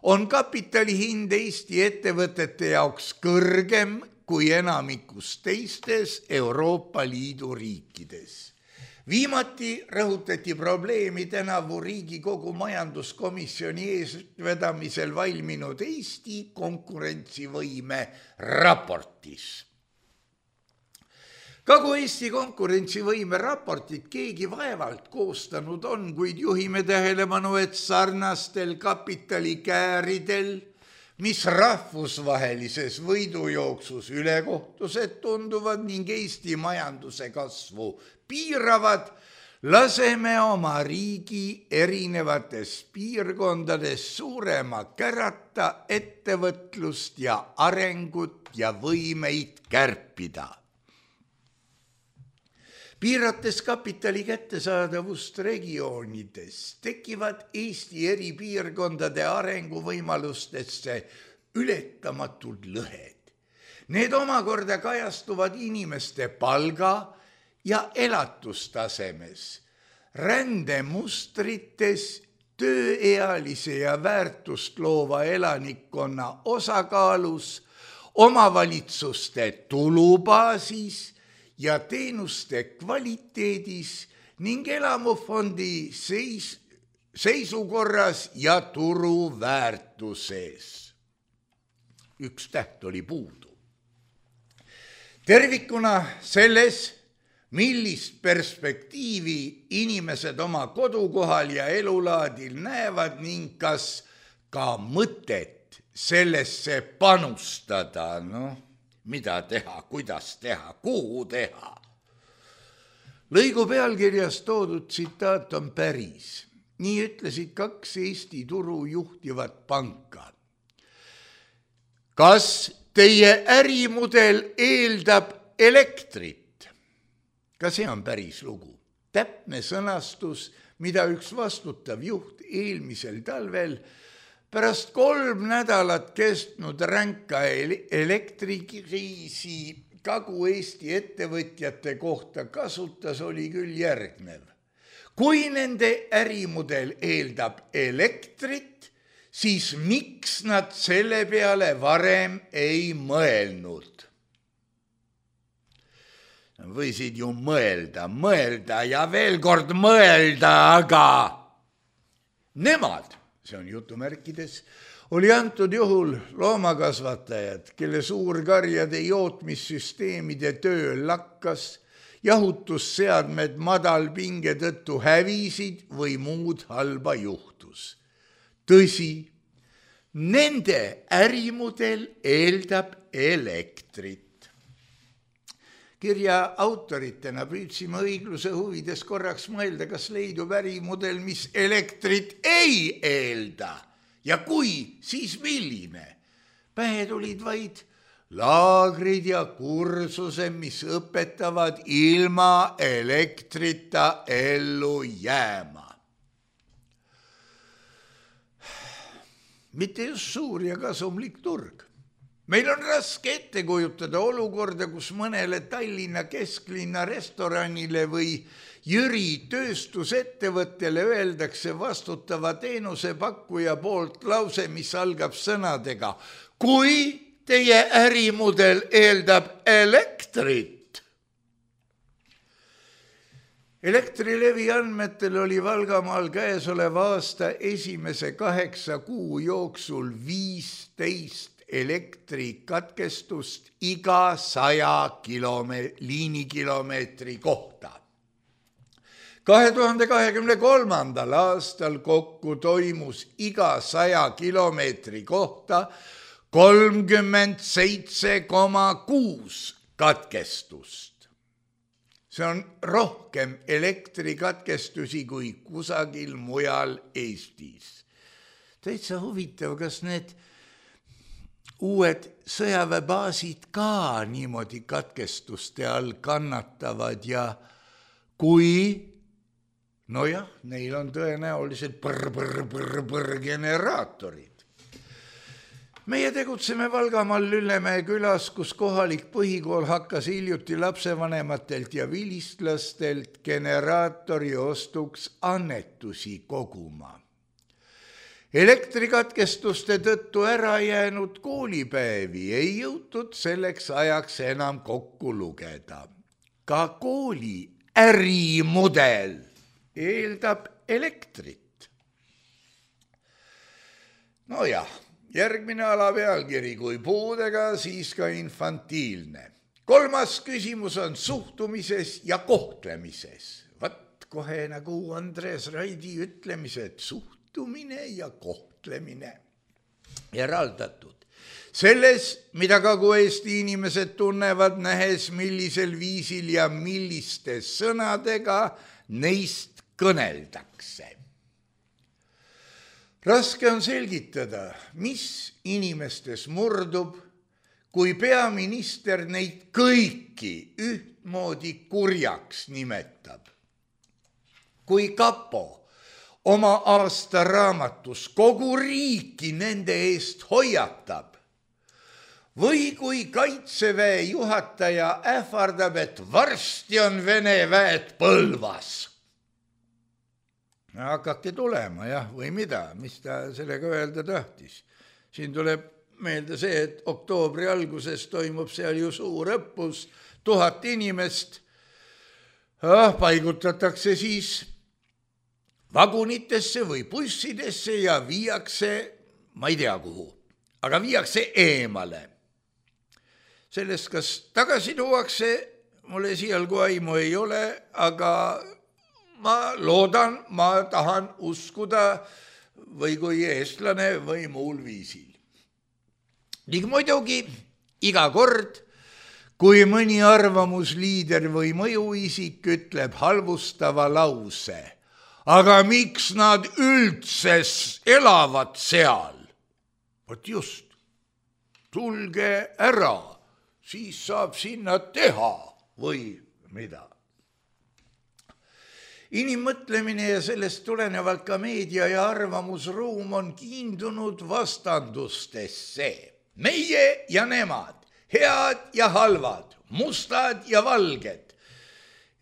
S3: on kapitali hind Eesti ettevõtete jaoks kõrgem kui enamikus teistes Euroopa Liidu riikides. Viimati rõhutati probleemi tänavu Riigikogu majanduskomisjoni eesvedamisel valminud Eesti konkurentsivõime raportis. Kagu-Eesti konkurentsivõime raportit keegi vaevalt koostanud on, kuid juhime tähelepanu, et sarnastel kapitalikääridel, mis rahvusvahelises võidujooksus ülekohtused tunduvad ning Eesti majanduse kasvu piiravad, laseme oma riigi erinevates piirkondades suurema kärata ettevõtlust ja arengut ja võimeid kärpida. Piirates kapitali kättesaadavust regioonides tekivad Eesti eri piirkondade arenguvõimalustesse ületamatud lõhed. Need omakorda kajastuvad inimeste palga ja elatustasemes, rändemustrites, tööealise ja väärtust loova elanikkonna osakaalus, omavalitsuste tulubaasis ja teenuste kvaliteedis ning elamufondi seisukorras ja turu väärtuses. Üks täht oli puudu. Tervikuna selles, millist perspektiivi inimesed oma kodukohal ja elulaadil näevad ning kas ka mõtet sellesse panustada, mida teha, kuidas teha, kuhu teha. Lõigu pealkirjas toodud tsitaat on päris. Nii ütlesid 2 Eesti turu juhtivat panka. Kas teie ärimudel eeldab elektrit? Ka see on päris lugu. Täpne sõnastus, mida üks vastutav juht eelmisel talvel pärast 3 nädalat kestnud ränka elektrikriisi Kagu-Eesti ettevõtjate kohta kasutas, oli küll järgnev. Kui nende ärimudel eeldab elektrit, siis miks nad selle peale varem ei mõelnud? Võisid ju mõelda ja veel kord mõelda, aga nemad, see on jutumärkides, oli antud juhul loomakasvatajad, kelle suurkarjade jootmissüsteemide töö lakkas, jahutusseadmed madalpinge tõttu hävisid või muud halba juhtus. Tõsi, nende ärimudel eeldab elektrit. Kirja autoritena püüdsime õigluse huvides korraks mõelda, kas leidub ärimudel, mis elektrit ei eelda. Ja kui, siis milline? Pähe tulid vaid laagrid ja kursuse, mis õpetavad ilma elektrita ellu jääma. Mitte just suur ja kasumlik turg. Meil on raske ette kujutada olukorda, kus mõnele Tallinna kesklinna restoranile või Jüri tööstusettevõttele öeldakse vastutava teenusepakkuja poolt lause, mis algab sõnadega: kui teie ärimudel eeldab elektrit. Elektrilevi andmetel oli Valgamaal käesoleva aasta esimese 8 kuu jooksul 15 elektrikatkestust iga 100 liinikilomeetri kohta. 2023. aastal kokku toimus iga 100 kilomeetri kohta 37,6 katkestust. See on rohkem elektrikatkestusi kui kusagil mujal Eestis. Täitsa huvitav, kas need uued sõjaväebaasid ka niimoodi katkestuste all kannatavad ja kui, nojah, neil on tõenäoliselt generaatorid. Meie tegutseme Valgamaal Lüllemäe külas, kus kohalik põhikool hakkas hiljuti lapsevanematelt ja vilistlastelt generaatori ostuks annetusi koguma. Elektrikatkestuste tõttu ära jäänud koolipäevi ei jõutud selleks ajaks enam kokku lugeda. Ka kooli ärimudel eeldab elektrit. Nojah. Järgmine alapealkiri, kui puudega, siis ka infantiilne. 3. küsimus on suhtumises ja kohtlemises. Vat kohe nagu Andres Raidi ütlemised, suhtumine ja kohtlemine. Eraldatud. Selles, mida Kagu-Eesti inimesed tunnevad, nähes millisel viisil ja milliste sõnadega neist kõneldakse. Raske on selgitada, mis inimestes murdub, kui peaminister neid kõiki ühtmoodi kurjaks nimetab. Kui Kapo oma aastaraamatus kogu riiki nende eest hoiatab või kui Kaitseväe juhataja ähvardab, et varsti on Vene väed Põlvas. Hakake tulema, jah, või mida, mis ta sellega öelda tahtis. Siin tuleb meelde see, et oktoobri alguses toimub seal ju suur õppus, 1000 inimest paigutatakse siis vagunitesse või bussidesse ja viiakse, ma ei tea kuhu, aga viiakse eemale. Sellest, kas tagasi tuuakse, mulle siialgu aimu ei ole, aga ma loodan, ma tahan uskuda või kui eestlane või muul viisil. Ning muidugi iga kord, kui mõni arvamusliider või mõjuisik ütleb halvustava lause, aga miks nad üldse elavad seal? Vot just, tulge ära, siis saab sinna teha või mida. Inimmõtlemine ja sellest tulenevalt ka meedia ja arvamusruum on kiindunud vastandustesse. Meie ja nemad, head ja halvad, mustad ja valged.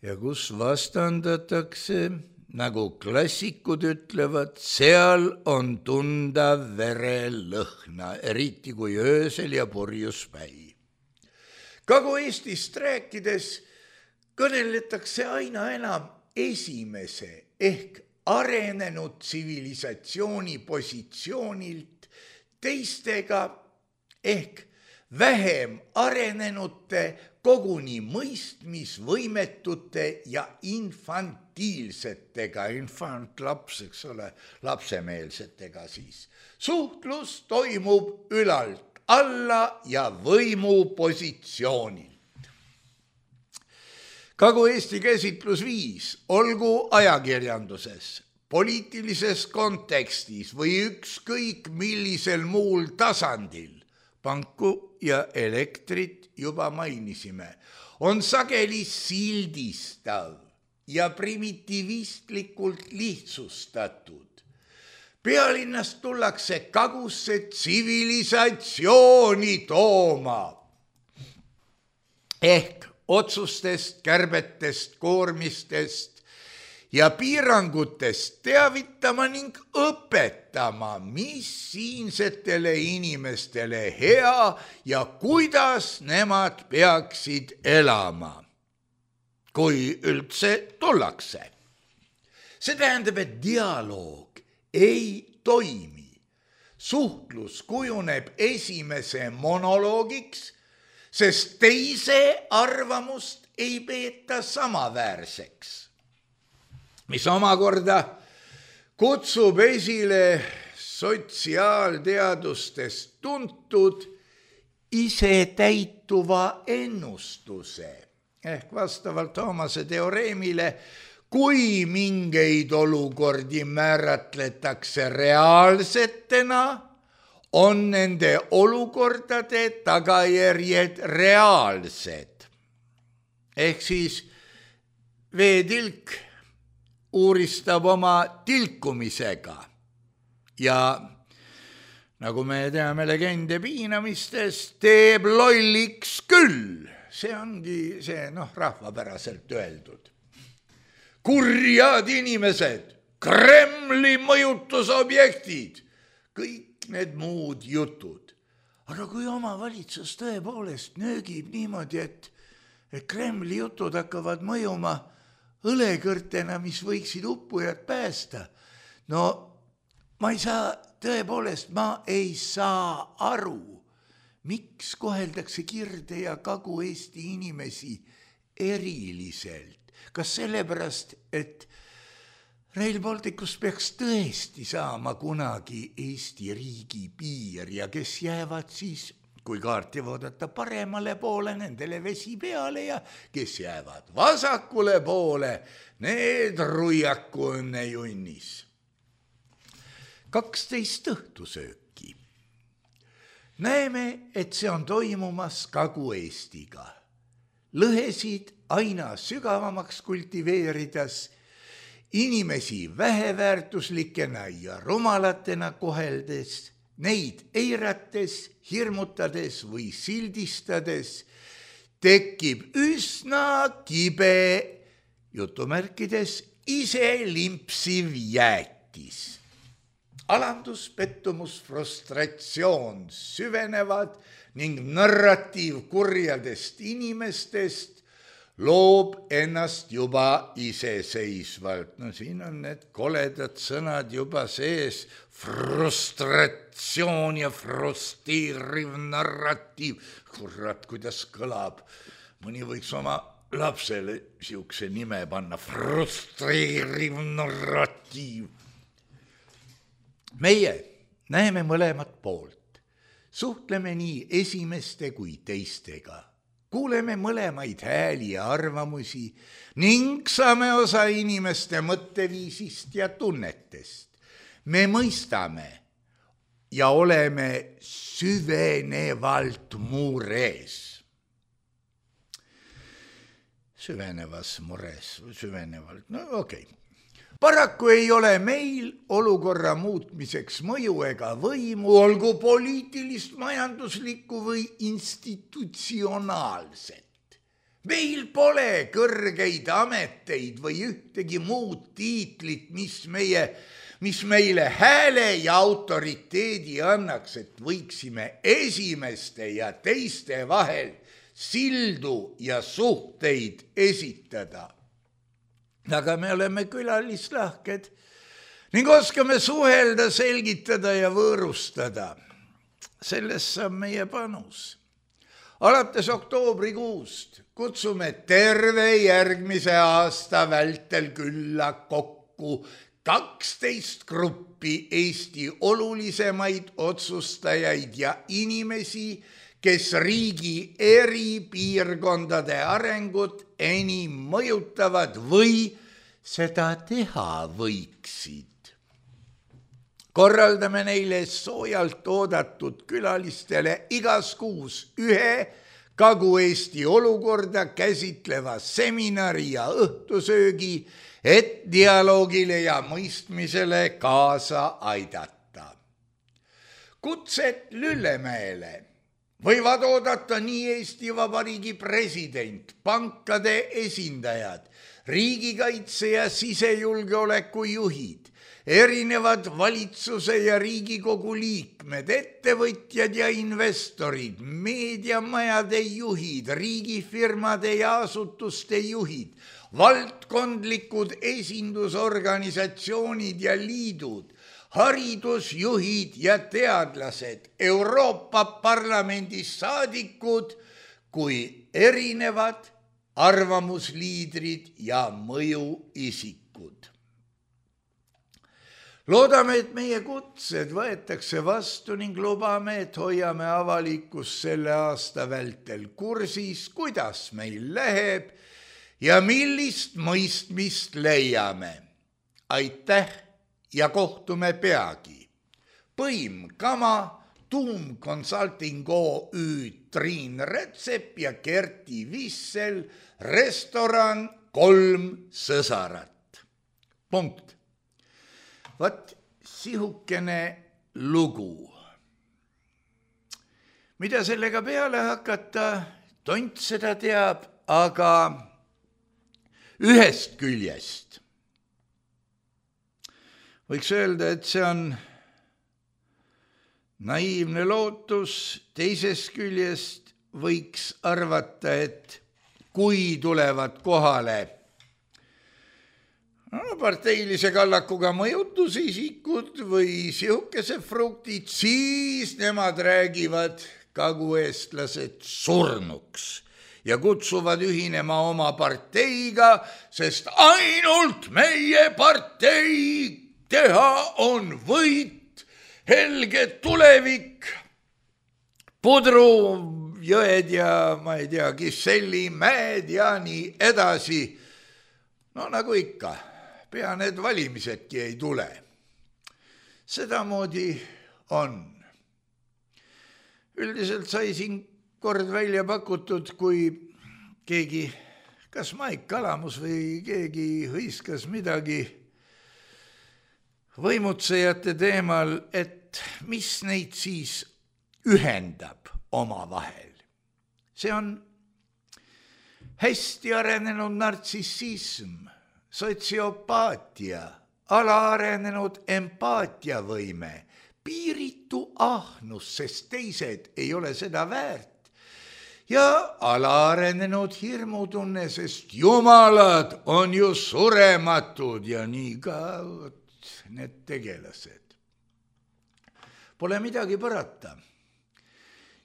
S3: Ja kus vastandatakse, nagu klassikud ütlevad, seal on tunda verelõhna, eriti kui öösel ja purjus päi. Kagu-Eestist rääkides kõneletakse aina enam esimese ehk arenenud tsivilisatsiooni positsioonilt teistega ehk vähem arenenute, koguni mõistmisvõimetute ja infantiilsetega, infantlaps, eks ole, lapsemeelsetega siis. Suhtlus toimub ülalt alla ja võimupositsioonil. Kagu-Eesti käsitlusviis, olgu ajakirjanduses, poliitilises kontekstis või ükskõik millisel muul tasandil, panku ja elektrit juba mainisime, on sageli sildistav ja primitiivistlikult lihtsustatud. Pealinnast tullakse kagusse tsivilisatsiooni tooma. Ehk otsustest, kärbetest, koormistest ja piirangutest teavitama ning õpetama, mis siinsetele inimestele hea ja kuidas nemad peaksid elama, kui üldse tullakse. See tähendab, et dialoog ei toimi. Suhtlus kujuneb esimese monoloogiks, sest teise arvamust ei peeta samaväärseks, mis omakorda kutsub esile sotsiaalteadustest tuntud isetäituva ennustuse ehk vastavalt Thoomase teoreemile, kui mingeid olukordi määratletakse reaalsetena, on nende olukordade tagajärjed reaalsed. Ehk siis veetilk uuristab oma tilkumisega ja nagu me teame legende piinamistest, teeb lolliks küll. See ongi see rahvapäraselt öeldud. Kurjad inimesed, Kremli mõjutusobjektid, kõik need muud jutud. Aga kui omavalitsus tõepoolest nöögib niimoodi, et Kremli jutud hakkavad mõjuma õlekõrtena, mis võiksid uppujad päästa, no ma ei saa aru, miks koheldakse Kirde- ja Kagu-Eesti inimesi eriliselt. Kas sellepärast, et Rail Balticust peaks tõesti saama kunagi Eesti riigi piir ja kes jäävad siis, kui kaarti vaadata paremale poole, nendele vesi peale ja kes jäävad vasakule poole, need ruiaku õnne junnis. 12 õhtusööki. Näeme, et see on toimumas Kagu-Eestiga. Lõhesid aina sügavamaks kultiveerides, inimesi väheväärtuslikena ja rumalatena koheldes, neid eirates, hirmutades või sildistades, tekib üsna kibe, jutumärkides, ise limpsiv jäätis. Alandus, pettumus, frustratsioon süvenevad ning narratiiv kurjadest inimestest loob ennast juba iseseisvalt. No siin on need koledad sõnad juba sees, frustratsioon ja frustreeriv narratiiv. Kurat, kuidas kõlab. Mõni võiks oma lapsele siukse nime panna, frustreeriv narratiiv. Meie näeme mõlemat poolt. Suhtleme nii esimeste kui teistega. Kuuleme mõlemaid hääli ja arvamusi ning saame osa inimeste mõtteviisist ja tunnetest. Me mõistame ja oleme süvenevalt mures. Süvenevas mures, süvenevalt, no okei. Paraku ei ole meil olukorra muutmiseks mõju ega võimu, olgu poliitilist, majanduslikku või institutsionaalset. Meil pole kõrgeid ameteid või ühtegi muud tiitlit, mis meile hääle ja autoriteedi annaks, et võiksime esimeste ja teiste vahel sildu ja suhteid esitada. Aga me oleme külalislahked ning oskame suhelda, selgitada ja võõrustada. Sellest saab meie panus. Alates oktoobrikuust kutsume terve järgmise aasta vältel külla kokku 12 gruppi Eesti olulisemaid otsustajaid ja inimesi, kes riigi eri piirkondade arengut enim mõjutavad või seda teha võiksid. korraldame neile soojalt oodatud külalistele igas kuus ühe Kagu-Eesti olukorda käsitleva seminari ja õhtusöögi, et dialoogile ja mõistmisele kaasa aidata. Kutset Lüllemäele võivad oodata nii Eesti Vabariigi president, pankade esindajad, riigikaitse ja sisejulgeoleku juhid, erinevad valitsuse ja Riigikogu liikmed, ettevõtjad ja investorid, meediamajade juhid, riigifirmade ja asutuste juhid, valdkondlikud esindusorganisatsioonid ja liidud, haridusjuhid ja teadlased, Euroopa Parlamendi saadikud kui erinevad arvamusliidrid ja mõjuisikud. Loodame, et meie kutsed võetakse vastu ning lubame, et hoiame avalikkust selle aasta vältel kursis, kuidas meil läheb ja millist mõistmist leiame. Aitäh ja kohtume peagi. Põim Kama, Tuum Consulting OÜ, Triin Rätsep ja Kerti Vissel, restoran 3 sõsarat. Punkt. Vat sihukene lugu. Mida sellega peale hakata, tont seda teab, aga ühest küljest võiks öelda, et see on naiivne lootus, teisest küljest võiks arvata, et kui tulevad kohale parteilise kallakuga mõjutusisikud või sihukese fruktid, siis nemad räägivad kagueestlased surnuks ja kutsuvad ühinema oma parteiga, sest ainult meie partei teha on võit, helge tulevik, Pudru jõed ja ma ei tea, Kiselli mäed ja nii edasi. No nagu ikka. Pea need valimisedki ei tule. Sedamoodi on. Üldiselt sai siin kord välja pakutud, kui keegi, kas Maik Kalamus või keegi hõiskas midagi võimutsejate teemal, et mis neid siis ühendab omavahel. See on hästi arenenud nartsissism, sotsiopaatia, alaarenenud empaatiavõime, piiritu ahnus, sest teised ei ole seda väärt, ja alaarenenud hirmutunne, sest jumalad on ju surematud ja nii ka need tegelased. Pole midagi parata.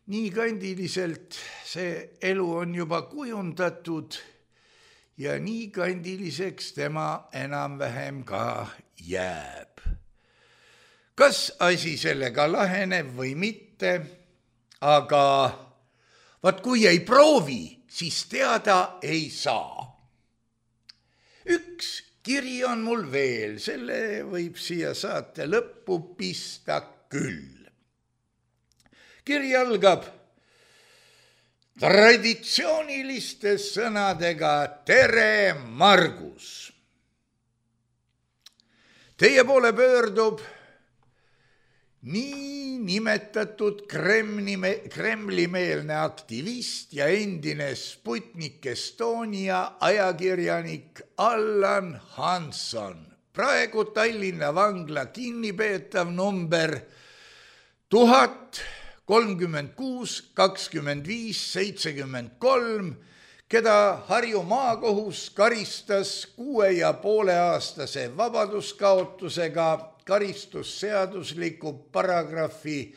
S3: Nii kandiliselt see elu on juba kujundatud, ja nii kandiliseks tema enam-vähem ka jääb. Kas asi sellega laheneb või mitte, aga vaat kui ei proovi, siis teada ei saa. Üks kiri on mul veel, selle võib siia saate lõppu pista küll. Kiri algab traditsiooniliste sõnadega tere, Margus. Teie poole pöördub nii nimetatud Kremli-meelne aktivist ja endine Sputnik Estonia ajakirjanik Allan Hanson, praegu Tallinna vangla kinnipeetav number 1036-25-73, keda Harju maakohus karistas 6,5-aastase vabaduskaotusega karistusseadusliku paragrahvi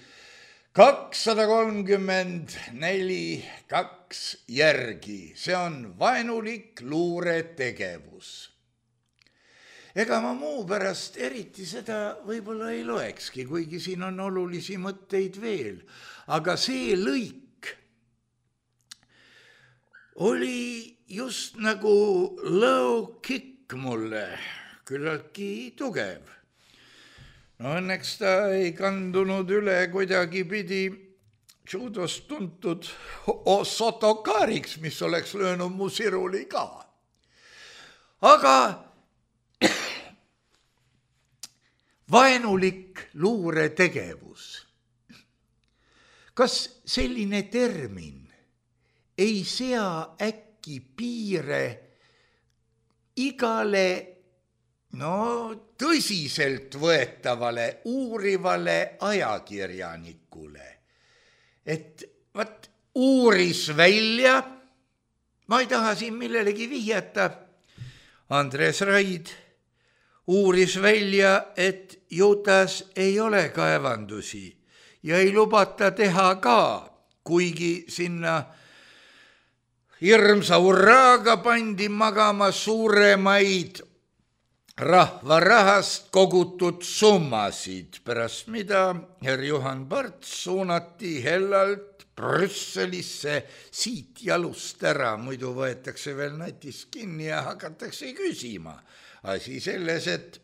S3: 234.2 järgi. See on vaenulik luuretegevus. Ega ma muu pärast eriti seda võib-olla ei loekski, kuigi siin on olulisi mõtteid veel. Aga see lõik oli just nagu low kick mulle, küllaltki tugev. No õnneks ta ei kandunud üle kuidagipidi judost tuntud Sotokariks, mis oleks löönud mu siruli ka. Aga vaenulik luuretegevus. Kas selline termin ei sea äkki piire igale tõsiselt võetavale uurivale ajakirjanikule? Et uuris välja, ma ei taha siin millelegi vihjata, Andres Raid uuris välja, et Jutas ei ole kaevandusi ja ei lubata teha ka, kuigi sinna hirmsa urraaga pandi magama suuremaid rahva rahast kogutud summasid, pärast mida herr Juhan Parts suunati hellalt Brüsselisse siit jalust ära, muidu võetakse veel natist kinni ja hakatakse küsima. Asi selles, et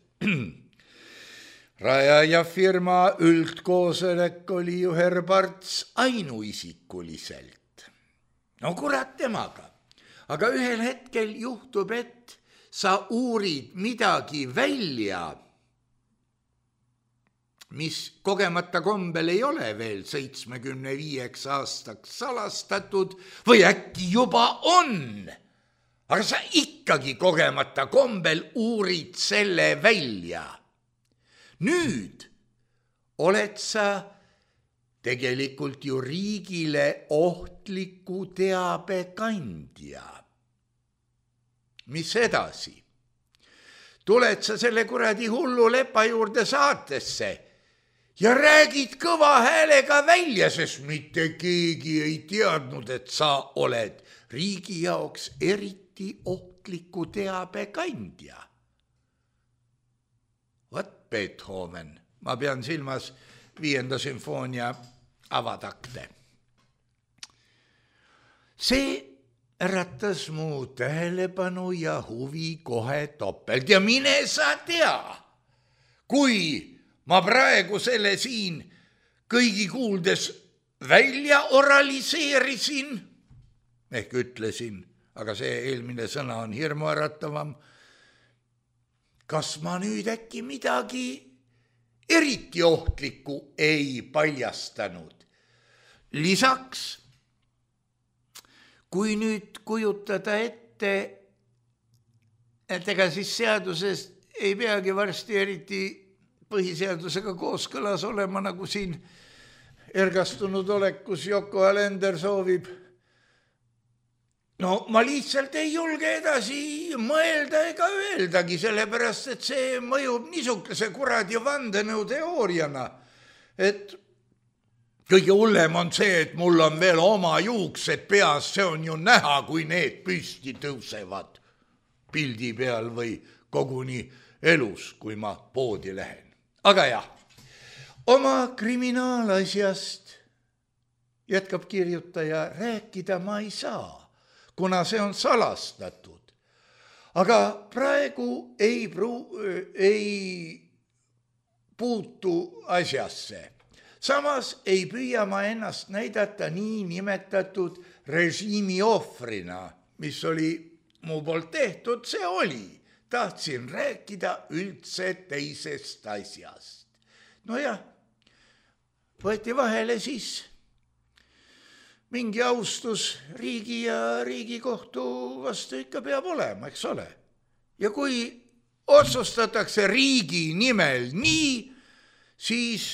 S3: rajajafirma üldkoosolek oli ju herr Parts ainuisikuliselt. No kurat temaga. Aga ühel hetkel juhtub, et sa uurid midagi välja, mis kogemata kombel ei ole veel 75 aastaks salastatud või äkki juba on. Aga sa ikkagi kogemata kombel uurid selle välja. Nüüd oled sa tegelikult ju riigile ohtliku teabe kandja. Mis edasi? Tuled sa selle kuradi hullu lepa juurde saatesse ja räägid kõva häälega välja, sest mitte keegi ei teadnud, et sa oled riigi jaoks eriti ohtliku teabe kandja. Vat Beethoven, ma pean silmas 5. sümfoonia avatakte. See äratas mu tähelepanu ja huvi kohe topelt ja mine sa tea, kui ma praegu selle siin kõigi kuuldes välja oraliseerisin, ehk ütlesin, aga see eelmine sõna on hirmuäratavam, kas ma nüüd äkki midagi eriti ohtlikku ei paljastanud. Lisaks, kui nüüd kujutada ette, et ega siis seaduses ei peagi varsti eriti põhiseadusega kooskõlas olema, nagu siin ergastunud olekus Yoko Alender soovib. No ma lihtsalt ei julge edasi mõelda ega öeldagi, sellepärast, et see mõjub niisuguse kuradi vandenõuteooriana, et kõige hullem on see, et mul on veel oma juuksed peas, see on ju näha, kui need püsti tõusevad pildi peal või koguni elus, kui ma poodi lähen. Aga jah, oma kriminaalasjast, jätkab kirjutaja, rääkida ma ei saa, kuna see on salastatud. Aga praegu ei puutu asjasse. Samas ei püüa ma ennast näidata nii nimetatud režiimi ohvrina, mis oli mu poolt tehtud, see oli. Tahtsin rääkida üldse teisest asjast. No jah, võeti vahele siis mingi austus riigi ja Riigikohtu vastu ikka peab olema, eks ole. Ja kui otsustatakse riigi nimel nii, siis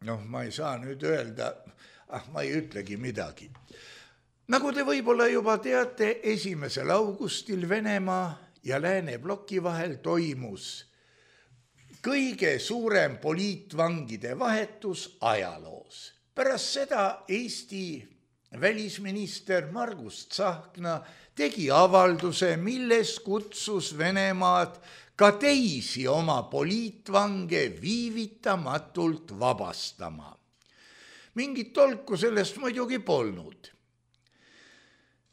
S3: ma ei saa nüüd öelda, ma ei ütlegi midagi. Nagu te võib-olla juba teate, 1. augustil Venemaa ja Lääne bloki vahel toimus kõige suurem poliitvangide vahetus ajaloos. Pärast seda Eesti välisminister Margus Tsahkna tegi avalduse, milles kutsus Venemaad ka teisi oma poliitvange viivitamatult vabastama. Mingit tolku sellest muidugi polnud.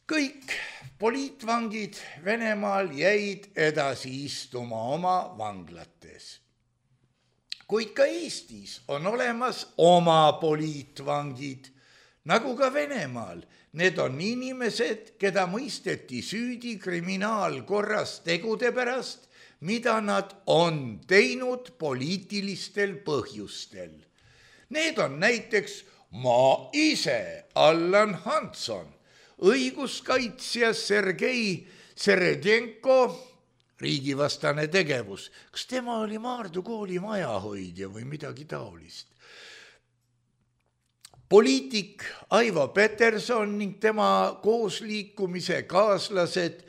S3: Kõik poliitvangid Venemaal jäid edasi istuma oma vanglates. kuid ka Eestis on olemas oma poliitvangid, nagu ka Venemaal. Need on inimesed, keda mõisteti süüdi kriminaalkorras tegude pärast, mida nad on teinud poliitilistel põhjustel. Need on näiteks ma ise, Allan Hanson, õiguskaitsja Sergei Seredenko, riigivastane tegevus. Kas tema oli Maardu kooli majahoidja või midagi taolist? Poliitik Aivo Peterson ning tema koosliikumise kaaslased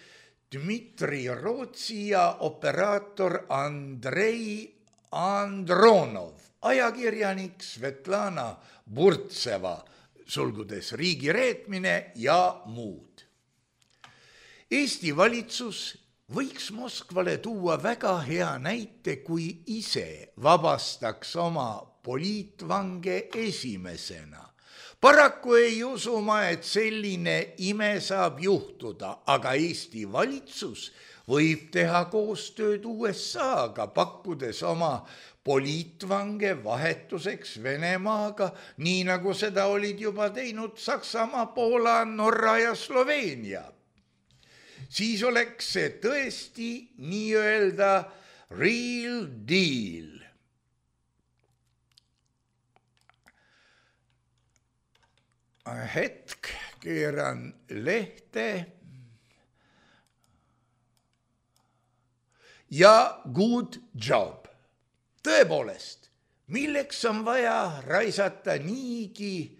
S3: Dmitri Rootsi ja operaator Andrei Andronov, ajakirjanik Svetlana Burtseva, sulgudes riigireetmine ja muud. Eesti valitsus võiks Moskvale tuua väga hea näite, kui ise vabastaks oma poliitvange esimesena. Paraku ei usu ma, et selline ime saab juhtuda, aga Eesti valitsus võib teha koostööd USA-ga, pakkudes oma poliitvange vahetuseks Venemaaga, nii nagu seda olid juba teinud Saksamaa, Poola, Norra ja Sloveenia. Siis oleks see tõesti nii-öelda real deal. Hetk, keeran lehte. Ja good job. Tõepoolest, milleks on vaja raisata niigi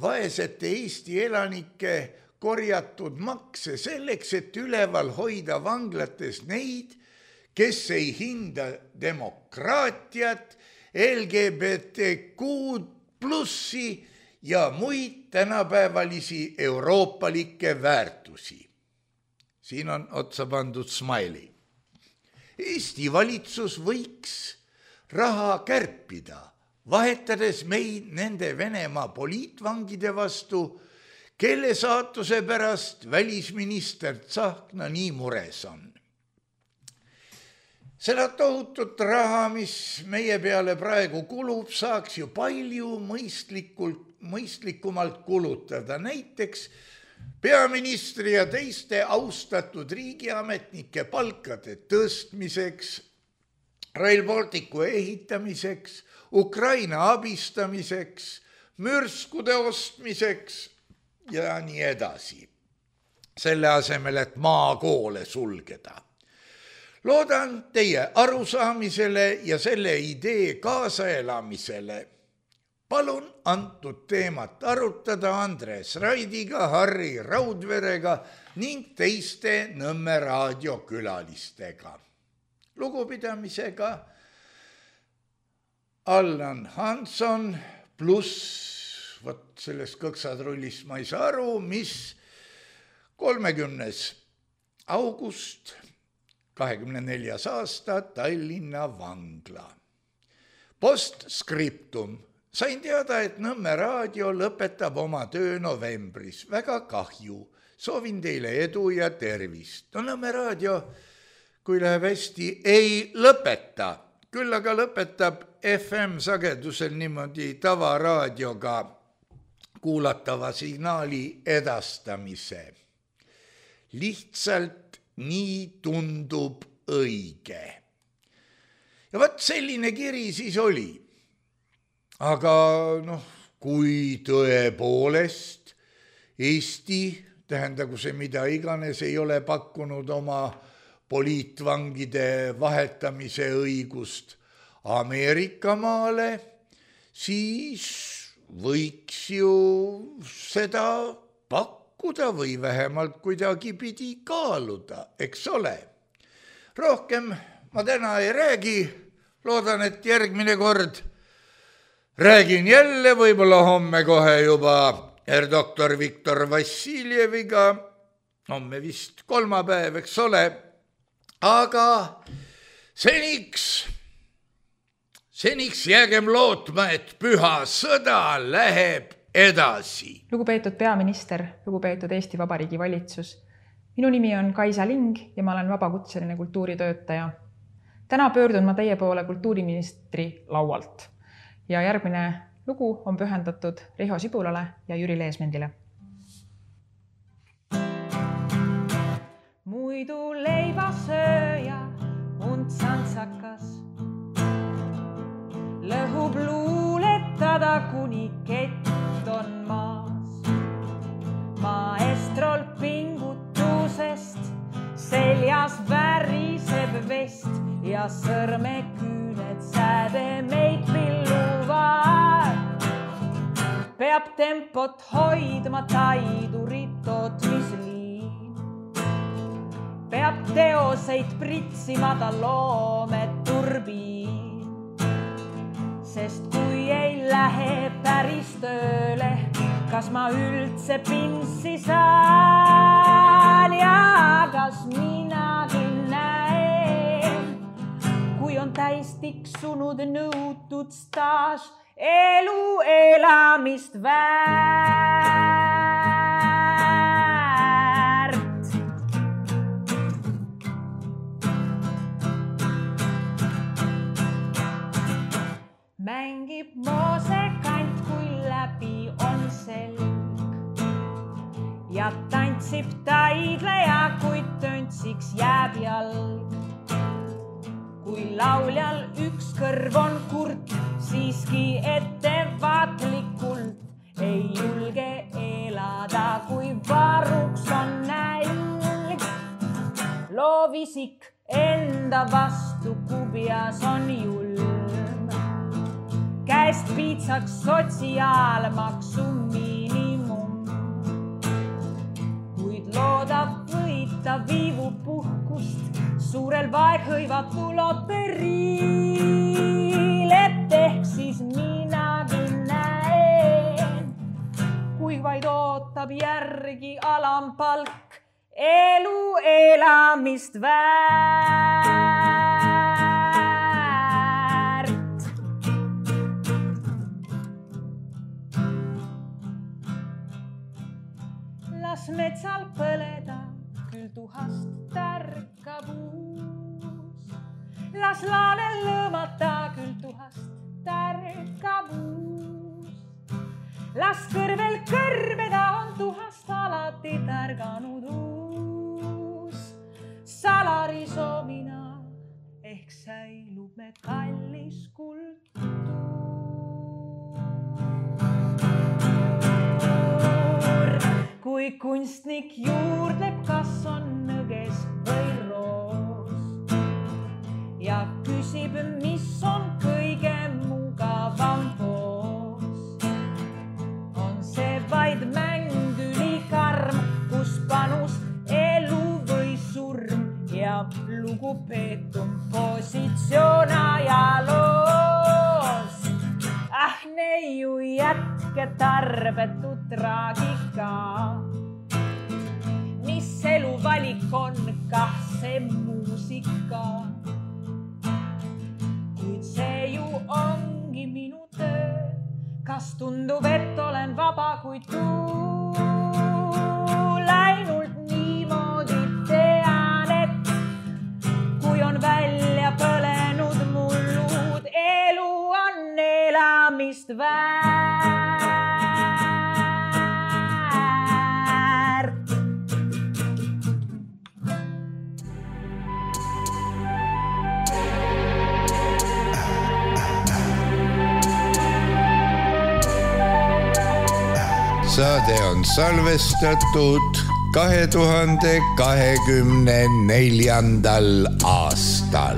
S3: vaesete Eesti elanike korjatud makse selleks, et üleval hoida vanglates neid, kes ei hinda demokraatiat, LGBTQ plussi ja muid tänapäevalisi euroopalikke väärtusi. Siin on otsa pandud smiley. Eesti valitsus võiks raha kärpida, vahetades meid nende Venemaa poliitvangide vastu, kelle saatuse pärast välisminister Tsahkna nii mures on. Seda tohutut raha, mis meie peale praegu kulub, saaks ju palju mõistlikumalt kulutada. Näiteks peaministri ja teiste austatud riigiametnike palkade tõstmiseks, Rail Balticu ehitamiseks, Ukraina abistamiseks, mürskude ostmiseks ja nii edasi. Selle asemel, et maakoole sulgeda. Loodan teie arusaamisele ja selle idee kaasaelamisele. Palun antud teemat arutada Andres Raidiga, Harri Raudverega ning teiste Nõmme raadio külalistega. Lugupidamisega Allan Hanson pluss, vot sellest kõksadrullist ma ei saa aru, mis 30. august 24. aasta Tallinna vangla. Postscriptum. Sain teada, et Nõmme raadio lõpetab oma töö novembris. Väga kahju. Soovin teile edu ja tervist. No Nõmme raadio, kui läheb hästi, ei lõpeta. Küll aga lõpetab FM-sagedusel niimoodi tavaraadioga kuulatava signaali edastamise. Lihtsalt nii tundub õige. Ja võt selline kiri siis oli. Aga kui tõepoolest Eesti, tähendagu see mida iganes, ei ole pakkunud oma poliitvangide vahetamise õigust Ameerikamaale, siis võiks ju seda pakkuda või vähemalt kuidagi pidi kaaluda, eks ole. Rohkem ma täna ei räägi, loodan, et järgmine kord räägin jälle, võib-olla homme kohe juba doktor Viktor Vassiljeviga, homme vist kolmapäev, eks ole, aga seniks jäägem lootma, et püha sõda läheb edasi.
S4: Lugupeetud peaminister, lugupeetud Eesti Vabariigi valitsus. Minu nimi on Kaisa Ling ja ma olen vabakutseline kultuuritöötaja. Täna pöördun ma teie poole kultuuriministri laualt ja järgmine lugu on pühendatud Riho Sibulale ja Jüri Leesmendile. Muidu leivasööja und santsakas lõhub luuletada kuni kett on maas. Maestrol pingutusest seljas väriseb vest ja sõrmeküüned sääde meid pilluvad. Peab tempot hoidma taidurit tootmisliin. Peab teoseid pritsima ta loometurbiin. Sest kui ei lähe päris tööle, kas ma üldse pinssi saan ja kas minagi näen, kui on täis tiksunud nõutud staaž elu elamist väärt. Mängib moosekant, kui läbi on selg ja tantsib taidleja, kui töntsiks jääb jalg. Kui lauljal üks kõrv on kurt, siiski ettevaatlikult ei julge elada, kui varuks on nälg. Loovisik enda vastu kubjas on julm. Käest piitsaks sotsiaalmaksu miinimum. Kuid loodab võita viivu puhkust suurel vaeghõivatul loteriil, et ehk siis minagi näen, kui vaid ootab järgi alampalk elu elamist väärt. Las metsal põleda, küll tuhast tärkab uus. Las laanel lõõmata, küll tuhast tärkab uus. Las kõrvel kõrbeda, on tuhast alati tärganud uus. Salarisomina ehk säilub me kallis kultuur. Kui kunstnik juurdleb, kas on nõges või roos ja küsib, mis on kõige mugavam poos, on see vaid mäng ülikarm, kus panus elu või surm ja lugupeetum positsioon ajaloos. Ah, neiu jätke tarbetu traagika. Mis elu valik on, kah see muusika. Kuid see ju ongi minu töö. Kas tundub, et olen vaba, kui tuul ainult niimoodi tean, et kui on välja põlenud mullud, elu on elamist väärt.
S3: Saade on salvestatud 2024. aastal.